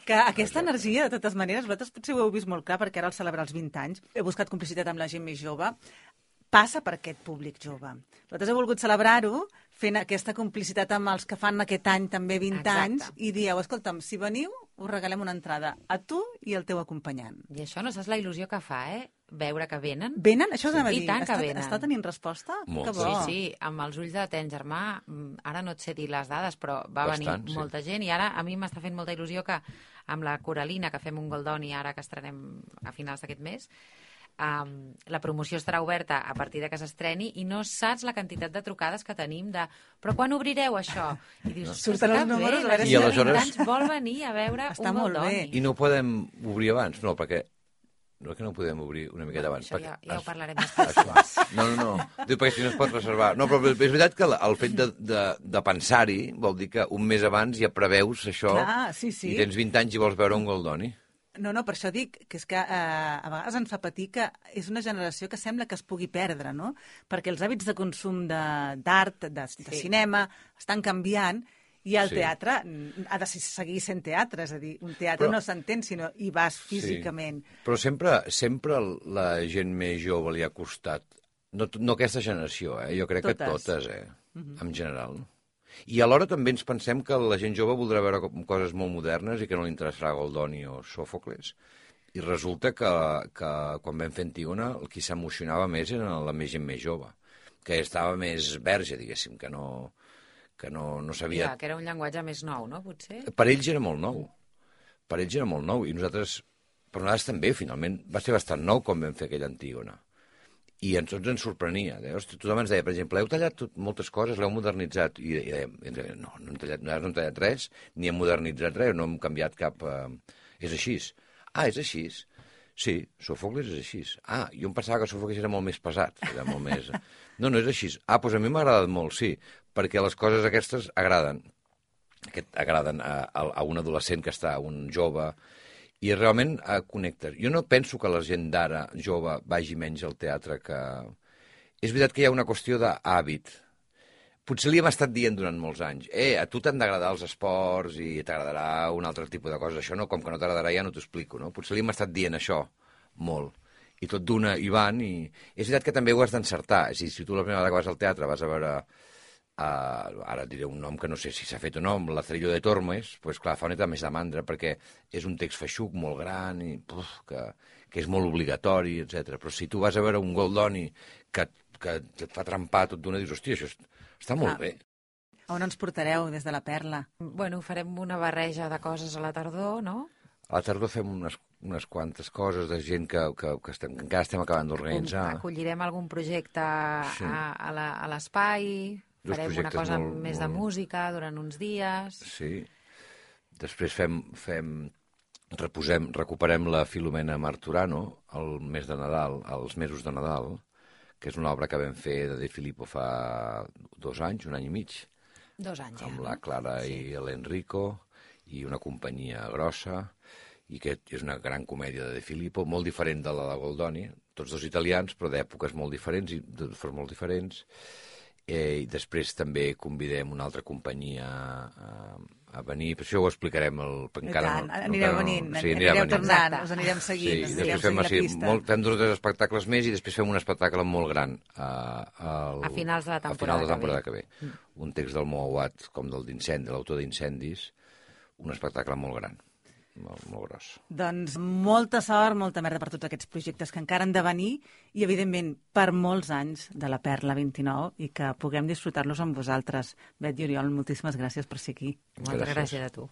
Que aquesta energia, de totes maneres, vosaltres potser ho heu vist molt clar, perquè ara al celebrar els vint anys he buscat complicitat amb la gent més jove, passa per aquest públic jove. Vosaltres heu volgut celebrar-ho fent aquesta complicitat amb els que fan aquest any també vint Exacte. anys i dieu, escolta'm, si veniu, us regalem una entrada a tu i al teu acompanyant. I això no saps la il·lusió que fa, eh? Veure que venen. Venen? Això us Sí, anava a i dir. tant que Està, venen. està tenint resposta? Molt. Que bo. Sí, sí, amb els ulls de ten germà, mm, ara no et sé dir les dades, però va Bastant, venir sí. molta gent i ara a mi m'està fent molta il·lusió que amb la Coralina, que fem un Goldoni ara que estrenem a finals d'aquest mes, um, la promoció estarà oberta a partir de que s'estreni i no saps la quantitat de trucades que tenim de però quan obrireu això? I dius, no. Surten els números, a veure la si- gent de I aleshores- vint anys vol venir a veure Està un molt Goldoni. bé. I no podem obrir abans? No, perquè... No, que no podem obrir una miqueta abans. Això perquè ja, ja ho es- parlarem després. Això. No, no, no. Diu, perquè si no es pot reservar. No, però és veritat que el fet de, de, de pensar-hi vol dir que un mes abans ja preveus això Clar, sí, sí. i tens vint anys i vols veure un Goldoni. No, no, per això dic que és que eh, a vegades ens fa patir que és una generació que sembla que es pugui perdre, no? Perquè els hàbits de consum de- d'art, de, de, de Sí. cinema, estan canviant i el Sí. teatre mm, ha de ser- seguir sent teatre, és a dir, un teatre Però- no s'entén, sinó hi vas físicament. Sí. Però sempre, sempre la gent més jove li ha costat, no, no aquesta generació, eh? Jo crec Totes. que totes, eh? En general. I alhora també ens pensem que la gent jove voldrà veure com- coses molt modernes i que no li interessarà Goldoni o Sòfocles. I resulta que, que quan vam fer Antígona, el qui s'emocionava més era la més gent més jove, que estava més verge, diguéssim, que no, que no, no sabia... Ja, que era un llenguatge més nou, no, potser? Per ells era molt nou. Per ells era molt nou. I nosaltres, per nosaltres també, finalment, va ser bastant nou quan vam fer aquella Antígona. I a tots ens sorprenia. Eh? Hosti, tothom ens deia, per exemple, heu tallat tot, moltes coses, l'heu modernitzat. I, i dèiem, i dèiem, no, no hem, tallat, no hem tallat res, ni hem modernitzat res, no hem canviat cap... Eh... És així. Ah, és així? Sí, Sòfocles és així. Ah, jo em pensava que Sòfocles era molt més pesat. Era molt més... No, no és així. Ah, doncs a mi m'ha agradat molt, sí, perquè les coses aquestes agraden. Aquest, agraden a, a, a un adolescent que està, a un jove... I realment eh, connectes. Jo no penso que la gent d'ara, jove, vagi menys al teatre que... És veritat que hi ha una qüestió d'hàbit. Potser li hem estat dient durant molts anys, eh, a tu t'han d'agradar els esports i t'agradarà un altre tipus de coses. Això no, com que no t'agradarà ja no t'ho explico, no? Potser li hem estat dient això molt. I tot d'una hi van i... És veritat que també ho has d'encertar. És a dir, si tu la primera vegada que vas al teatre vas a veure Uh, ara diré un nom que no sé si s'ha fet o no, amb l'Acerrillo de Tormes, pues, clar, fa una mica més de mandra, perquè és un text feixuc molt gran, i, puf, que, que és molt obligatori, etcètera. Però si tu vas a veure un Goldoni que, que et fa trempar tot d'una, dius, hòstia, això està molt ah. bé. On ens portareu des de la Perla? Bueno, farem una barreja de coses a la tardor, no? A la tardor fem unes, unes quantes coses de gent que, que, que, estem, que encara estem acabant d'organitzar. Acollirem algun projecte sí. a, a l'espai... Farem una cosa molt, més molt... de música durant uns dies. Sí. Després fem, fem reposem, recuperem la Filomena Marturano el mes de Nadal, els mesos de Nadal, que és una obra que vam fer de De Filippo fa dos anys, un any i mig. Dos anys, ja. Amb la Clara sí. i l'Enrico i una companyia grossa, i que és una gran comèdia de De Filippo, molt diferent de la de Goldoni, tots dos italians, però d'èpoques molt diferents i de formes molt diferents. Eh, I després també convidem una altra companyia a, a venir, per això ho explicarem. El, encara tant, no, anireu encara venint, no, sí, anireu venint. tornant, us anirem seguint, sí, us anirem fem, seguint així, la pista. Molt, fem dos o tres espectacles més i després fem un espectacle molt gran a, al, a finals de la temporada, a final de la temporada que ve. Que ve. Mm. Un text del Moawat, com del d'incendi, l'autor d'Incendis, un espectacle molt gran. Molt, molt gros. Doncs molta sort, molta merda per tots aquests projectes que encara han de venir i, evidentment, per molts anys de la Perla vint-i-nou i que puguem disfrutar-los amb vosaltres. Bet i Oriol, moltíssimes gràcies per ser aquí. Moltes gràcies, gràcies a tu.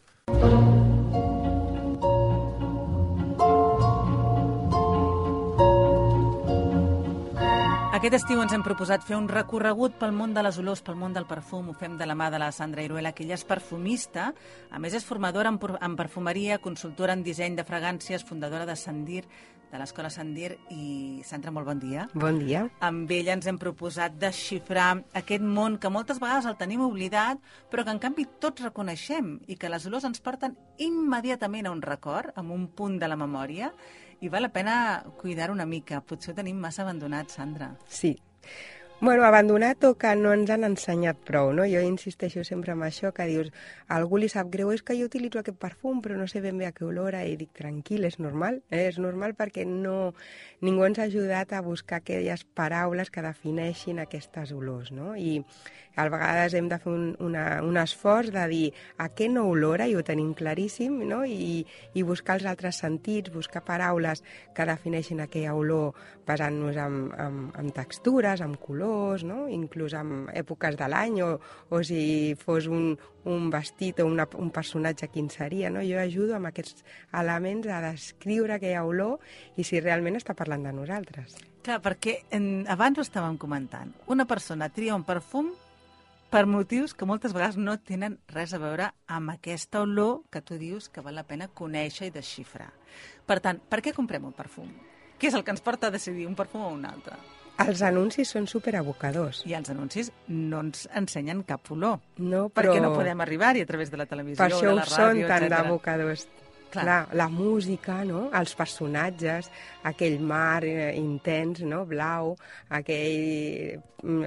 Aquest estiu ens hem proposat fer un recorregut pel món de les olors, pel món del perfum. Ho fem de la mà de la Sandra Iruela, que ella és perfumista, a més és formadora en perfumeria, consultora en disseny de fragàncies, fundadora de Sandir, de l'Escola Sandir. I, Sandra, molt bon dia. Bon dia. Amb ella ens hem proposat desxifrar aquest món que moltes vegades el tenim oblidat, però que en canvi tots reconeixem i que les olors ens porten immediatament a un record, amb un punt de la memòria, i val la pena cuidar una mica. Potser ho tenim massa abandonat, Sandra. Sí. Bueno, abandonat o que no ens han ensenyat prou, no? Jo insisteixo sempre en això, que dius, a algú li sap greu, és que jo utilitzo aquest perfum, però no sé ben bé a què olora, i dic, tranquil, és normal, eh? És normal perquè no, ningú ens ha ajudat a buscar aquelles paraules que defineixin aquestes olors, no? I a vegades hem de fer un, una, un esforç de dir a què no olora, i ho tenim claríssim, no? I, i buscar els altres sentits, buscar paraules que defineixin aquella olor basant-nos en, en, en textures, en colors, no? Inclús en èpoques de l'any, o, o si fos un, un vestit o una, un personatge, quin seria, no? Jo ajudo amb aquests elements a descriure aquella olor i si realment està parlant de nosaltres. Clar, perquè en, abans ho estàvem comentant. Una persona tria un perfum per motius que moltes vegades no tenen res a veure amb aquesta olor que tu dius que val la pena conèixer i desxifrar. Per tant, per què comprem un perfum? Què és el que ens porta a decidir un perfum o un altre? Els anuncis són superabocadors. I els anuncis no ens ensenyen cap olor. No, però... Perquè no podem arribar-hi a través de la televisió per o de la ràdio, etcètera. Per això ho són tan etcètera. d'abocadors. Clar. Clar, la música, no? Els personatges, aquell mar eh, intens, no? Blau, aquell,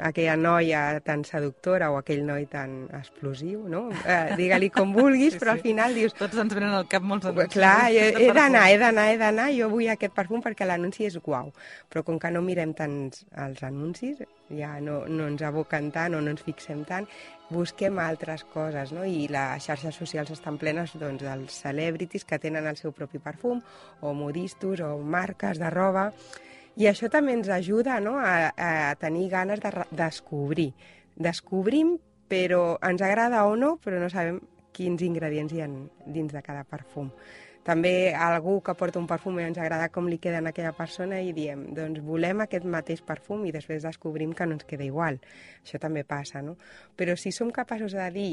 aquella noia tan seductora o aquell noi tan explosiu, no? Eh, digue-li com vulguis, sí, però al final dius... Tots ens venen al cap molts anuncis. Clar, he, he d'anar, he d'anar, he d'anar, jo vull aquest perfum perquè l'anunci és guau. Però com que no mirem tant els anuncis, ja no, no ens aboquen tant o no ens fixem tant, busquem altres coses, no? I les xarxes socials estan plenes doncs, dels celebrities que tenen el seu propi perfum, o modistos, o marques de roba, i això també ens ajuda, no? a, a tenir ganes de descobrir. Descobrim, però ens agrada o no, però no sabem quins ingredients hi ha dins de cada perfum. També algú que porta un perfum i ens agrada com li queda en aquella persona i diem, doncs volem aquest mateix perfum i després descobrim que no ens queda igual. Això també passa, no? Però si som capaços de dir,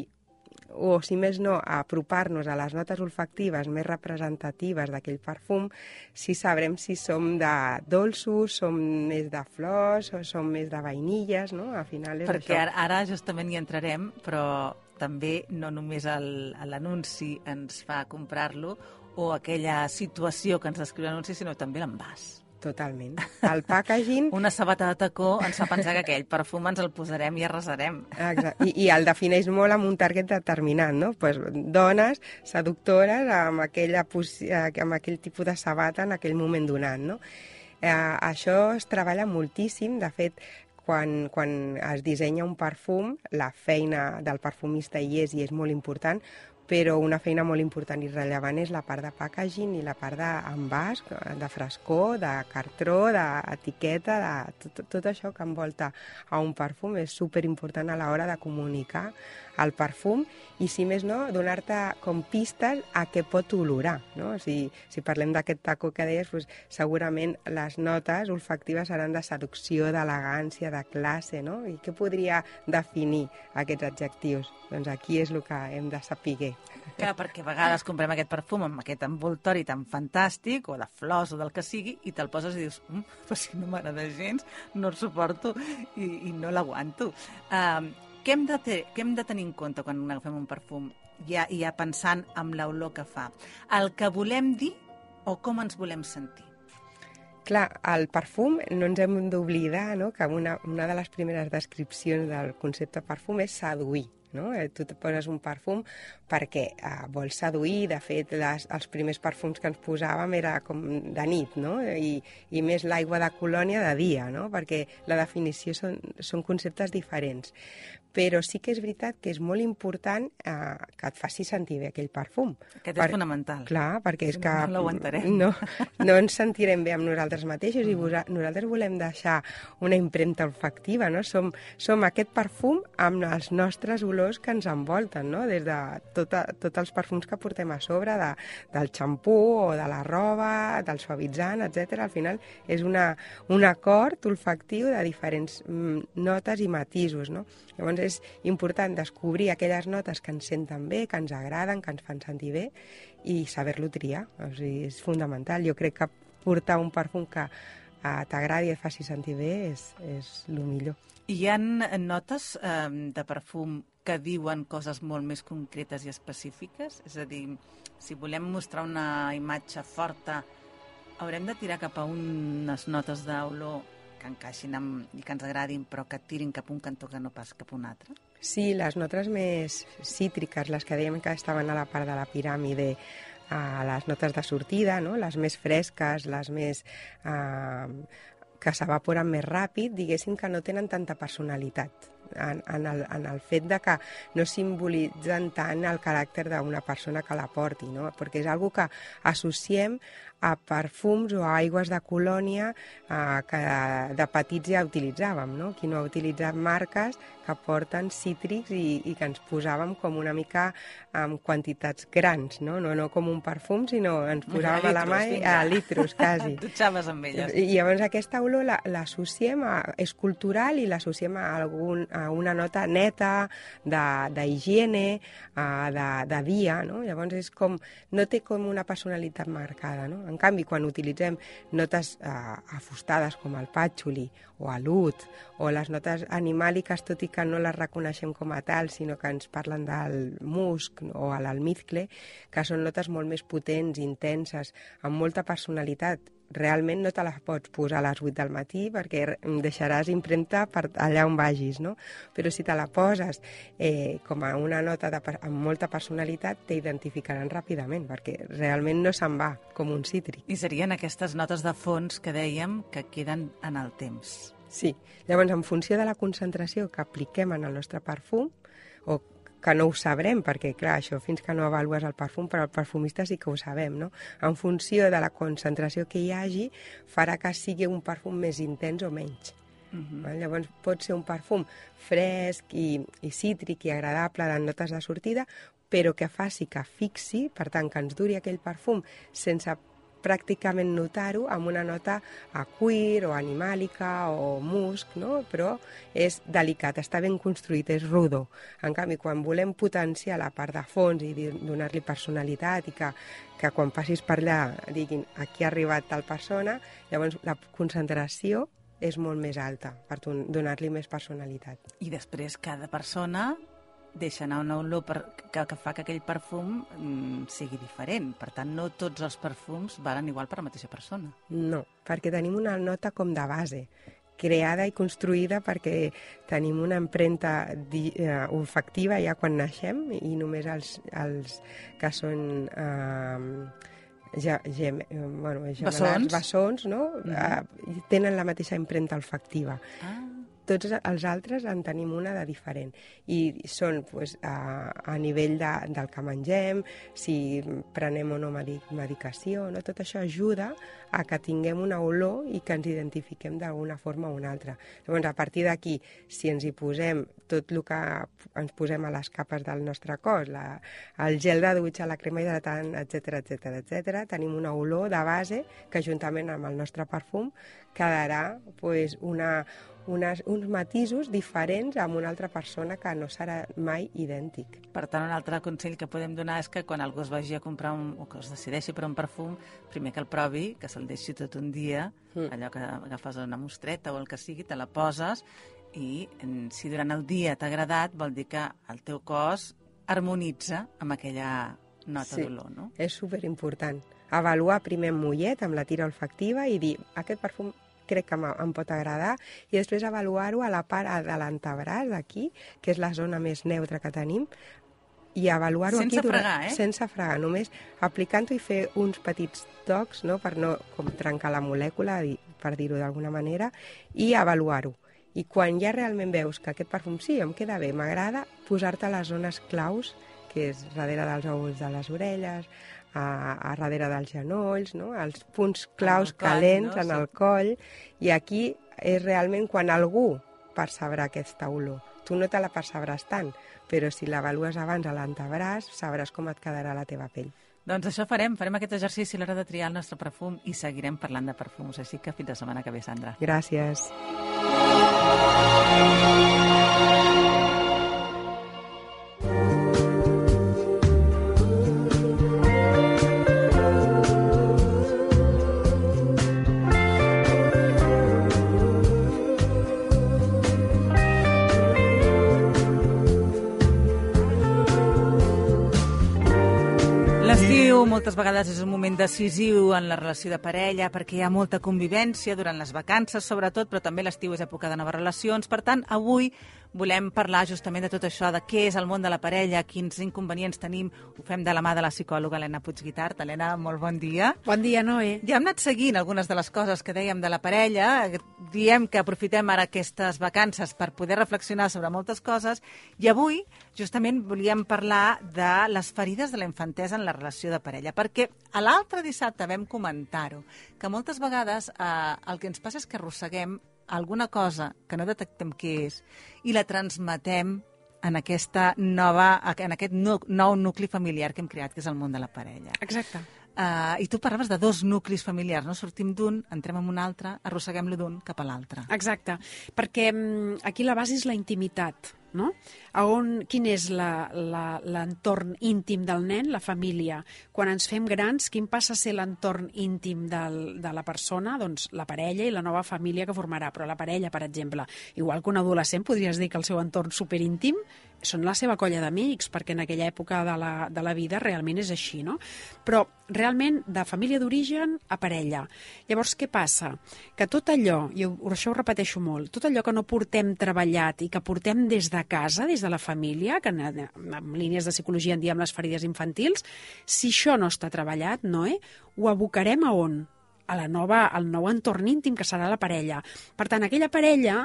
o si més no, apropar-nos a les notes olfactives més representatives d'aquell perfum, si sabrem si som de dolços, som més de flors, o som més de vainilles, no? Al final és Perquè això. ara justament hi entrarem, però també no només l'anunci ens fa comprar-lo, o aquella situació que ens descriu l'anunci, sinó també l'envàs. Totalment. El packaging... Una sabata de tacó ens fa pensar que aquell perfum ens el posarem i arrasarem. Exacte. I, I el defineix molt amb un target determinat, no? Pues, dones seductores amb, aquella, amb aquell tipus de sabata en aquell moment donat, no? Eh, això es treballa moltíssim. De fet, quan, quan es dissenya un perfum, la feina del perfumista hi és i és molt important, però una feina molt important i rellevant és la part de packaging i la part d'envàs, de frescor, de cartró, d'etiqueta, de tot, tot això que envolta a un perfum és superimportant a l'hora de comunicar el perfum i, si més no, donar-te com pistes a què pot olorar, no? Si, si parlem d'aquest taco que deies, doncs, segurament les notes olfactives seran de seducció, d'elegància, de classe, no? I què podria definir aquests adjectius? Doncs aquí és el que hem de saber. Clar, perquè a vegades comprem aquest perfum amb aquest envoltori tan fantàstic, o de flors o del que sigui, i te'l poses i dius, mm, però si no m'agrada gens, no el suporto i, i no l'aguanto. Uh, què, hem de ter, què hem de tenir en compte quan agafem un perfum, ja, ja pensant en l'olor que fa? El que volem dir o com ens volem sentir? Clar, el perfum no ens hem d'oblidar, no?, que una, una de les primeres descripcions del concepte perfum és seduir. No? Tu et poses un perfum perquè eh, vols seduir. De fet, les, els primers perfums que ens posàvem era com de nit, no? I, i més l'aigua de colònia de dia, no? Perquè la definició són, són conceptes diferents. Però sí que és veritat que és molt important eh, que et faci sentir bé aquell perfum. Aquest és fonamental. Clar, perquè és que no l'aguantarem. No, no ens sentirem bé amb nosaltres mateixos i vosa, nosaltres volem deixar una impremta olfactiva, no? Som, som aquest perfum amb els nostres olors que ens envolten, no? Des de tota, tots els perfums que portem a sobre, de, del xampú o de la roba, del suavitzant, etcètera. Al final és una, un acord olfactiu de diferents mm, notes i matisos, no? Llavors és important descobrir aquelles notes que ens senten bé, que ens agraden, que ens fan sentir bé i saber-lo triar. O sigui, és fonamental. Jo crec que portar un perfum que eh, t'agradi i et faci sentir bé és, és el millor. Hi ha notes eh, de perfum que diuen coses molt més concretes i específiques? És a dir, si volem mostrar una imatge forta, haurem de tirar cap a unes notes d'olor que encaixin amb, i que ens agradin, però que tirin cap a un cantó que no pas cap a un altre? Sí, les notes més cítriques, les que dèiem que estaven a la part de la piràmide, a les notes de sortida, no? Les més fresques, les més eh, que s'evaporen més ràpid, diguéssim que no tenen tanta personalitat. En, en, el, en el fet de que no simbolitzen tant el caràcter d'una persona que la porti, no? Perquè és una que associem a perfums o a aigües de colònia eh, que de petits ja utilitzàvem, no? Qui no ha utilitzat marques que porten cítrics i, i que ens posàvem com una mica amb quantitats grans, no? No, no com un perfum, sinó ens posàvem a, a la mà i a litros, quasi. Dutxaves amb elles. I llavors aquesta olor l'associem, la, és cultural i l'associem a, algun, a una nota neta, d'higiene, de, de dia, no? Llavors és com, no té com una personalitat marcada, no? En canvi, quan utilitzem notes eh, afustades com el pàtxuli o l'oud o les notes animàliques, tot i que no les reconeixem com a tal, sinó que ens parlen del musc o l'almizcle, que són notes molt més potents, intenses, amb molta personalitat. Realment no te la pots posar a les vuit del matí perquè deixaràs impremta per allà on vagis, no? Però si te la poses eh, com a una nota de, amb molta personalitat, t'identificaran ràpidament perquè realment no se'n va com un cítric. I serien aquestes notes de fons que dèiem que queden en el temps. Sí. Llavors, en funció de la concentració que apliquem en el nostre perfum, o que no ho sabrem, perquè, clar, això fins que no avalues el perfum, però el perfumista sí que ho sabem, no? En funció de la concentració que hi hagi, farà que sigui un perfum més intens o menys. Uh-huh. Llavors, pot ser un perfum fresc i, i cítric i agradable de notes de sortida, però que faci que fixi, per tant, que ens duri aquell perfum sense pràcticament notar-ho amb una nota a cuir o animàlica o musc, no? Però és delicat, està ben construït, és rodó. En canvi, quan volem potenciar la part de fons i donar-li personalitat i que, que quan passis per allà diguin aquí ha arribat tal persona, llavors la concentració és molt més alta per donar-li més personalitat. I després cada persona deixa anar una olor per, que, que fa que aquell perfum mm, sigui diferent. Per tant, no tots els perfums valen igual per la mateixa persona. No, perquè tenim una nota com de base, creada i construïda perquè tenim una empremta di, uh, olfactiva ja quan naixem i només els, els que són uh, ja, gem, bueno, gemelars, bessons, bessons no? Mm-hmm. uh, tenen la mateixa empremta olfactiva. Ah. tots els altres en tenim una de diferent. I són pues, a, a nivell de, del que mengem, si prenem o no medicació, no? Tot això ajuda a que tinguem una olor i que ens identifiquem d'alguna forma o una altra. Llavors, a partir d'aquí, si ens hi posem tot el que ens posem a les capes del nostre cos, la, el gel de dutxa, la crema hidratant, etcètera, etcètera, etcètera, tenim una olor de base que juntament amb el nostre perfum quedarà pues, una, unes, uns matisos diferents amb una altra persona que no serà mai idèntic. Per tant, un altre consell que podem donar és que quan algú es vagi a comprar un, o que es decideixi per un perfum, primer que el provi, que se'l deixi tot un dia, mm. allò que agafes una mostreta o el que sigui, te la poses i si durant el dia t'ha agradat vol dir que el teu cos harmonitza amb aquella nota sí, d'olor, no? És superimportant. Avaluar primer amb mullet, amb la tira olfactiva i dir, aquest perfum crec que em pot agradar, i després avaluar-ho a la part de l'antebraç, d'aquí, que és la zona més neutra que tenim, i avaluar-ho aquí... Sense fregar, eh? Sense fregar, només aplicant-ho i fer uns petits tocs, no?, per no com trencar la molècula, per dir-ho d'alguna manera, i avaluar-ho. I quan ja realment veus que aquest perfum sí, em queda bé, m'agrada, posar-te a les zones claus, que és darrere dels òvuls de les orelles, a, a darrere dels genolls, no? Els punts claus coll, calents no? en el coll, i aquí és realment quan algú percebrà aquesta olor. Tu no te la percebràs tant, però si l'avalues abans a l'antebraç, sabràs com et quedarà la teva pell. Doncs això farem, farem aquest exercici a l'hora de triar el nostre perfum i seguirem parlant de perfums, així que fins la setmana que ve, Sandra. Gràcies. L'estiu moltes vegades és un moment decisiu en la relació de parella perquè hi ha molta convivència durant les vacances, sobretot, però també l'estiu és època de noves relacions. Per tant, avui volem parlar justament de tot això, de què és el món de la parella, quins inconvenients tenim. Ho fem de la mà de la psicòloga Helena Puigguitart. Helena, molt bon dia. Bon dia, Noé. Ja hem anat seguint algunes de les coses que dèiem de la parella. Diem que aprofitem ara aquestes vacances per poder reflexionar sobre moltes coses i avui justament volíem parlar de les ferides de la infantesa en la relació de parella, perquè a l'altre dissabte vam comentar-ho, que moltes vegades eh, el que ens passa és que arrosseguem alguna cosa que no detectem què és i la transmetem en, aquesta nova, en aquest nou nucli familiar que hem creat, que és el món de la parella. Exacte. Uh, I tu parlaves de dos nuclis familiars, no? Sortim d'un, entrem en un altre, arrosseguem-lo d'un cap a l'altre. Exacte, perquè aquí la base és la intimitat, no? A on, quin és l'entorn íntim del nen, la família? Quan ens fem grans, quin passa a ser l'entorn íntim del, de la persona? Doncs la parella i la nova família que formarà. Però la parella, per exemple, igual que un adolescent, podries dir que el seu entorn superíntim són la seva colla d'amics, perquè en aquella època de la, de la vida realment és així, no? Però realment de família d'origen a parella. Llavors, què passa? Que tot allò, i això ho repeteixo molt, tot allò que no portem treballat i que portem des de casa, des de la família, que en, en línies de psicologia en diem les ferides infantils, si això no està treballat, no, eh? Ho abocarem a on? A la nova, al nou entorn íntim que serà la parella. Per tant, aquella parella,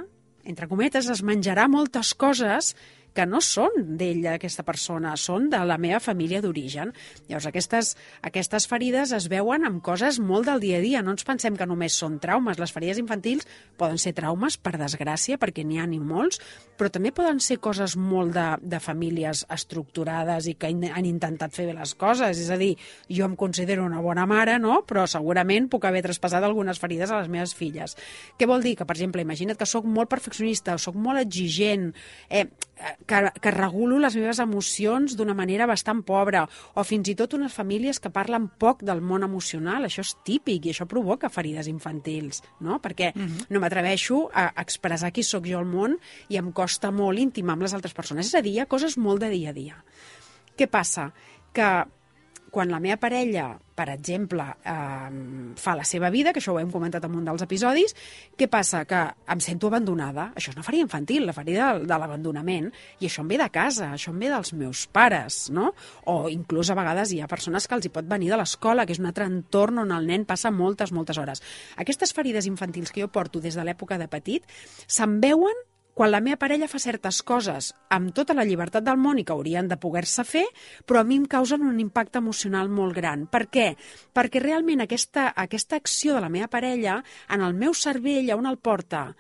entre cometes, es menjarà moltes coses que no són d'ella, aquesta persona, són de la meva família d'origen. Llavors, aquestes, aquestes ferides es veuen amb coses molt del dia a dia. No ens pensem que només són traumes. Les ferides infantils poden ser traumes, per desgràcia, perquè n'hi ha ni molts, però també poden ser coses molt de, de famílies estructurades i que han intentat fer bé les coses. És a dir, jo em considero una bona mare, no? Però segurament puc haver traspassat algunes ferides a les meves filles. Què vol dir? Que, per exemple, imagina't que sóc molt perfeccionista, sóc molt exigent, eh, Que, que regulo les meves emocions d'una manera bastant pobra, o fins i tot unes famílies que parlen poc del món emocional. Això és típic i això provoca ferides infantils, no? Perquè uh-huh. no m'atreveixo a expressar qui sóc jo al món i em costa molt intimar amb les altres persones. És a dir, hi ha coses molt de dia a dia. Què passa? Que quan la meva parella, per exemple, eh, fa la seva vida, que això ho hem comentat en un dels episodis, què passa? Que em sento abandonada. Això és una ferida infantil, la ferida de l'abandonament, i això em ve de casa, això em ve dels meus pares, no? O inclús a vegades hi ha persones que els hi pot venir de l'escola, que és un altre entorn on el nen passa moltes, moltes hores. Aquestes ferides infantils que jo porto des de l'època de petit se'n veuen quan la meva parella fa certes coses amb tota la llibertat del món i que haurien de poder-se fer, però a mi em causen un impacte emocional molt gran. Per què? Perquè realment aquesta, aquesta acció de la meva parella en el meu cervell, on el porta?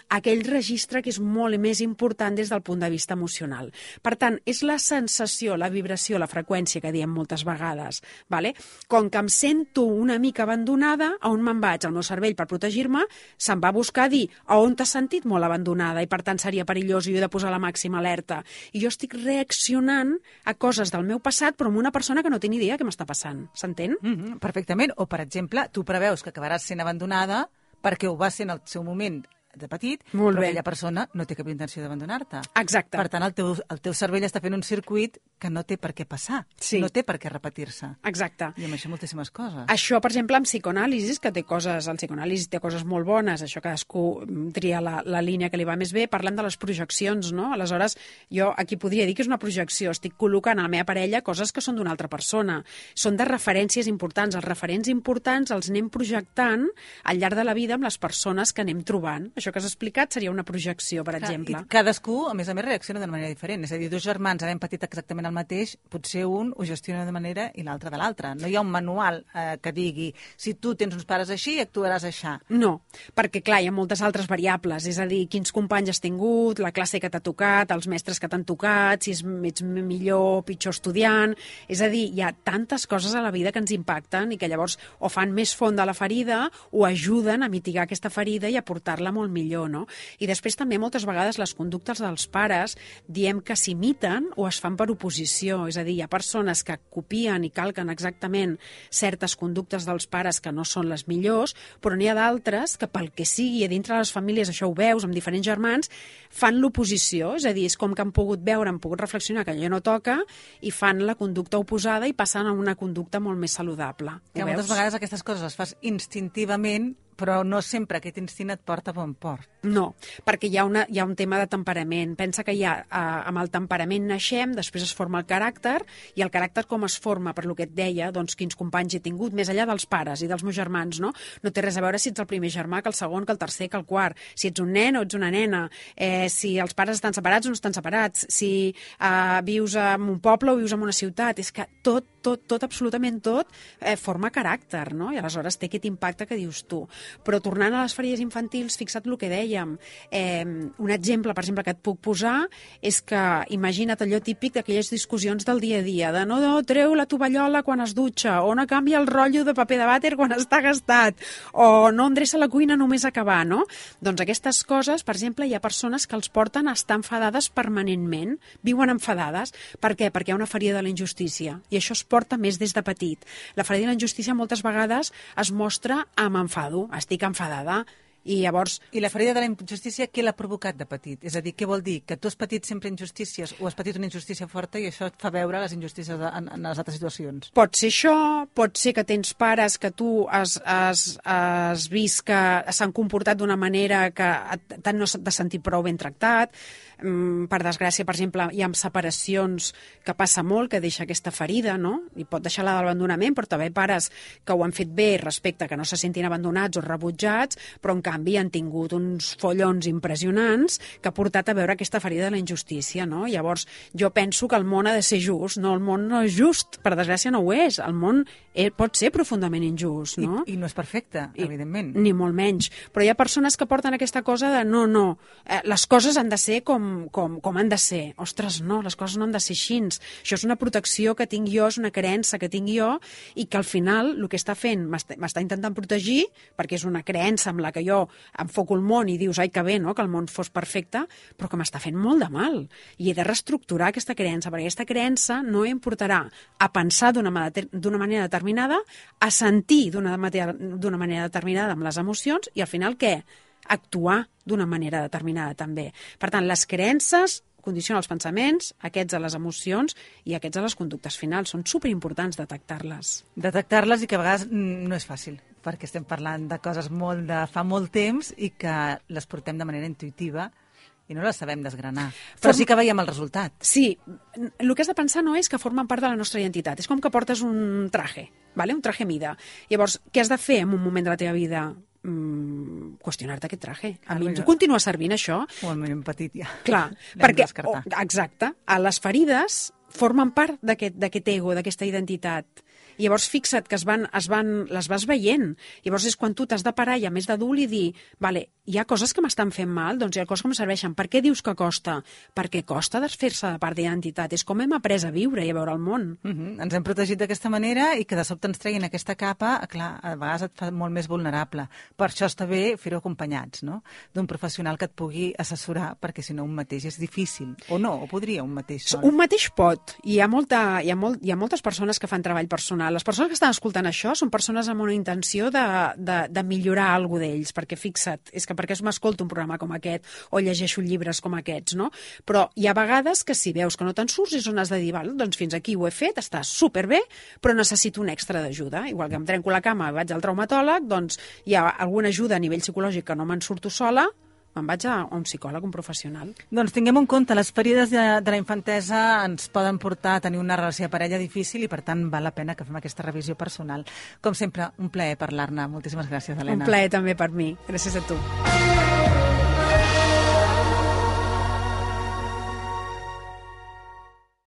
Aquell registre que és molt més important des del punt de vista emocional. Per tant, és la sensació, la vibració, la freqüència que diem moltes vegades. Vale? Com que em sento una mica abandonada, a on me'n vaig? El meu cervell, per protegir-me, se'n va a buscar a dir a on t'has sentit molt abandonada i per tant seria perillós i jo he de posar la màxima alerta. I jo estic reaccionant a coses del meu passat però amb una persona que no té ni idea què m'està passant. S'entén? Mm-hmm, perfectament. O, per exemple, tu preveus que acabaràs sent abandonada perquè ho va ser en el seu moment de petit, Molt però bé. aquella persona no té cap intenció d'abandonar-te. Exacte. Per tant, el teu, el teu cervell està fent un circuit que no té per què passar, Sí. no té per què repetir-se. Exacte. I amb això moltíssimes coses. Això, per exemple, amb psicoanàlisis, que té coses, el psicoanàlisi té coses molt bones, això cadascú tria la, la línia que li va més bé, parlant de les projeccions, no? Aleshores, jo aquí podria dir que és una projecció, estic col·locant a la meva parella coses que són d'una altra persona. Són de referències importants. Els referents importants els anem projectant al llarg de la vida amb les persones que anem trobant. Això que has explicat seria una projecció, per Clar, exemple. I cadascú, a més a més, reacciona d'una manera diferent. És a dir, dos germans havent patit exactament el mateix, potser un ho gestiona d'una manera i l'altre de l'altra. No hi ha un manual eh, que digui si tu tens uns pares així, actuaràs així. No, perquè clar, hi ha moltes altres variables, és a dir, quins companys has tingut, la classe que t'ha tocat, els mestres que t'han tocat, si ets millor o pitjor estudiant, és a dir, hi ha tantes coses a la vida que ens impacten i que llavors o fan més fonda la ferida o ajuden a mitigar aquesta ferida i a portar-la molt millor, no? I després també moltes vegades les conductes dels pares diem que s'imiten o es fan per oposició, és a dir, hi ha persones que copien i calquen exactament certes conductes dels pares que no són les millors, però n'hi ha d'altres que pel que sigui, a dintre de les famílies, això ho veus amb diferents germans, fan l'oposició, és a dir, és com que han pogut veure, han pogut reflexionar que allò no toca i fan la conducta oposada i passen a una conducta molt més saludable. Que moltes vegades aquestes coses les fas instintivament, però no sempre aquest instint et porta a bon port. No, perquè hi ha, una, hi ha un tema de temperament. Pensa que hi ha, eh, amb el temperament naixem, després es forma el caràcter, i el caràcter com es forma, per lo que et deia, doncs quins companys he tingut, més enllà dels pares i dels meus germans, no? No té res a veure si ets el primer germà, que el segon, que el tercer, que el quart, si ets un nen o ets una nena, eh, si els pares estan separats o no estan separats, si eh, vius en un poble o vius en una ciutat, és que tot, tot, tot, absolutament tot, eh, forma caràcter, no? I aleshores té aquest impacte que dius tu. Però tornant a les ferides infantils, fixa't el que dèiem. Eh, un exemple, per exemple, que et puc posar és que imagina't allò típic d'aquelles discussions del dia a dia, de no, no treu la tovallola quan es dutxa, o no canvia el rotllo de paper de vàter quan està gastat, o no endreça la cuina només a acabar, no? Doncs aquestes coses, per exemple, hi ha persones que els porten a estar enfadades permanentment, viuen enfadades. Per què? Perquè hi ha una ferida de la injustícia, i això es porta més des de petit. La ferida de la injustícia moltes vegades es mostra amb enfado, estic enfadada, i llavors... I la ferida de la injustícia, què l'ha provocat de petit? És a dir, què vol dir? Que tu has patit sempre injustícies o has patit una injustícia forta i això et fa veure les injustícies en, en les altres situacions? Pot ser això, pot ser que tens pares que tu has, has, has vist que s'han comportat d'una manera que tant no t'has sentit prou ben tractat. Per desgràcia, per exemple, hi ha separacions que passa molt, que deixa aquesta ferida, no? I pot deixar la de l'abandonament, però també pares que ho han fet bé respecte que no se sentin abandonats o rebutjats, però en canvi han tingut uns follons impressionants que ha portat a veure aquesta ferida de la injustícia, no? Llavors, jo penso que el món ha de ser just, no? El món no és just, per desgràcia no ho és. El món pot ser profundament injust, no? I, i no és perfecte, I, evidentment. Ni molt menys. Però hi ha persones que porten aquesta cosa de no, no, eh, les coses han de ser com Com, com han de ser. Ostres, no, les coses no han de ser així. Això és una protecció que tinc jo, és una creença que tinc jo i que al final el que està fent m'està intentant protegir, perquè és una creença amb la que jo enfoco el món i dius, ai, que bé, no?, que el món fos perfecte, però que m'està fent molt de mal. I he de reestructurar aquesta creença, perquè aquesta creença no em portarà a pensar d'una manera determinada, a sentir d'una manera, d'una manera determinada amb les emocions i al final què? Actuar d'una manera determinada també. Per tant, les creences condiciona els pensaments, aquests a les emocions i aquests a les conductes finals. Són superimportants detectar-les. Detectar-les i que a vegades mm, no és fàcil, perquè estem parlant de coses molt de fa molt temps i que les portem de manera intuïtiva i no les sabem desgranar. Però Form... sí que veiem el resultat. Sí, el que has de pensar no és que formen part de la nostra identitat. És com que portes un traje, ¿vale? Un traje mida. Llavors, què has de fer en un moment de la teva vida? Mm, qüestionar-te aquest traje. A mi ens continua servint això. O el mínim petit ja. Clar, perquè, oh, exacte, a les ferides formen part d'aquest ego, d'aquesta identitat. I llavors fixa't que es van, es van, les vas veient. Llavors és quan tu t'has de parar ja més d'adult i dir, vale, hi ha coses que m'estan fent mal, doncs hi ha coses que em serveixen. Per què dius que costa? Perquè costa desfer-se de part d'identitat. És com hem après a viure i a veure el món. Uh -huh. Ens hem protegit d'aquesta manera i que de sobte ens treguin aquesta capa, clar, a vegades et fa molt més vulnerable. Per això està bé fer-ho acompanyats, no? D'un professional que et pugui assessorar, perquè si no un mateix és difícil. O no, o podria un mateix sol. Un mateix pot. Hi ha, molta, hi ha, molt, hi ha moltes persones que fan treball personal. Les persones que estan escoltant això són persones amb una intenció de, de, de millorar alguna cosa d'ells, perquè fixa't, és que perquè m'escolto un programa com aquest o llegeixo llibres com aquests, no? Però hi ha vegades que si veus que no te'n surts és on has de dir, val, doncs fins aquí ho he fet, està superbé, però necessito un extra d'ajuda. Igual que em trenco la cama i vaig al traumatòleg, doncs hi ha alguna ajuda a nivell psicològic que no me'n surto sola, me'n vaig a un psicòleg, un professional. Doncs tinguem en compte, les ferides de, de la infantesa ens poden portar a tenir una relació de parella difícil i, per tant, val la pena que fem aquesta revisió personal. Com sempre, un plaer parlar-ne. Moltíssimes gràcies, Helena. Un plaer també per mi. Gràcies a tu.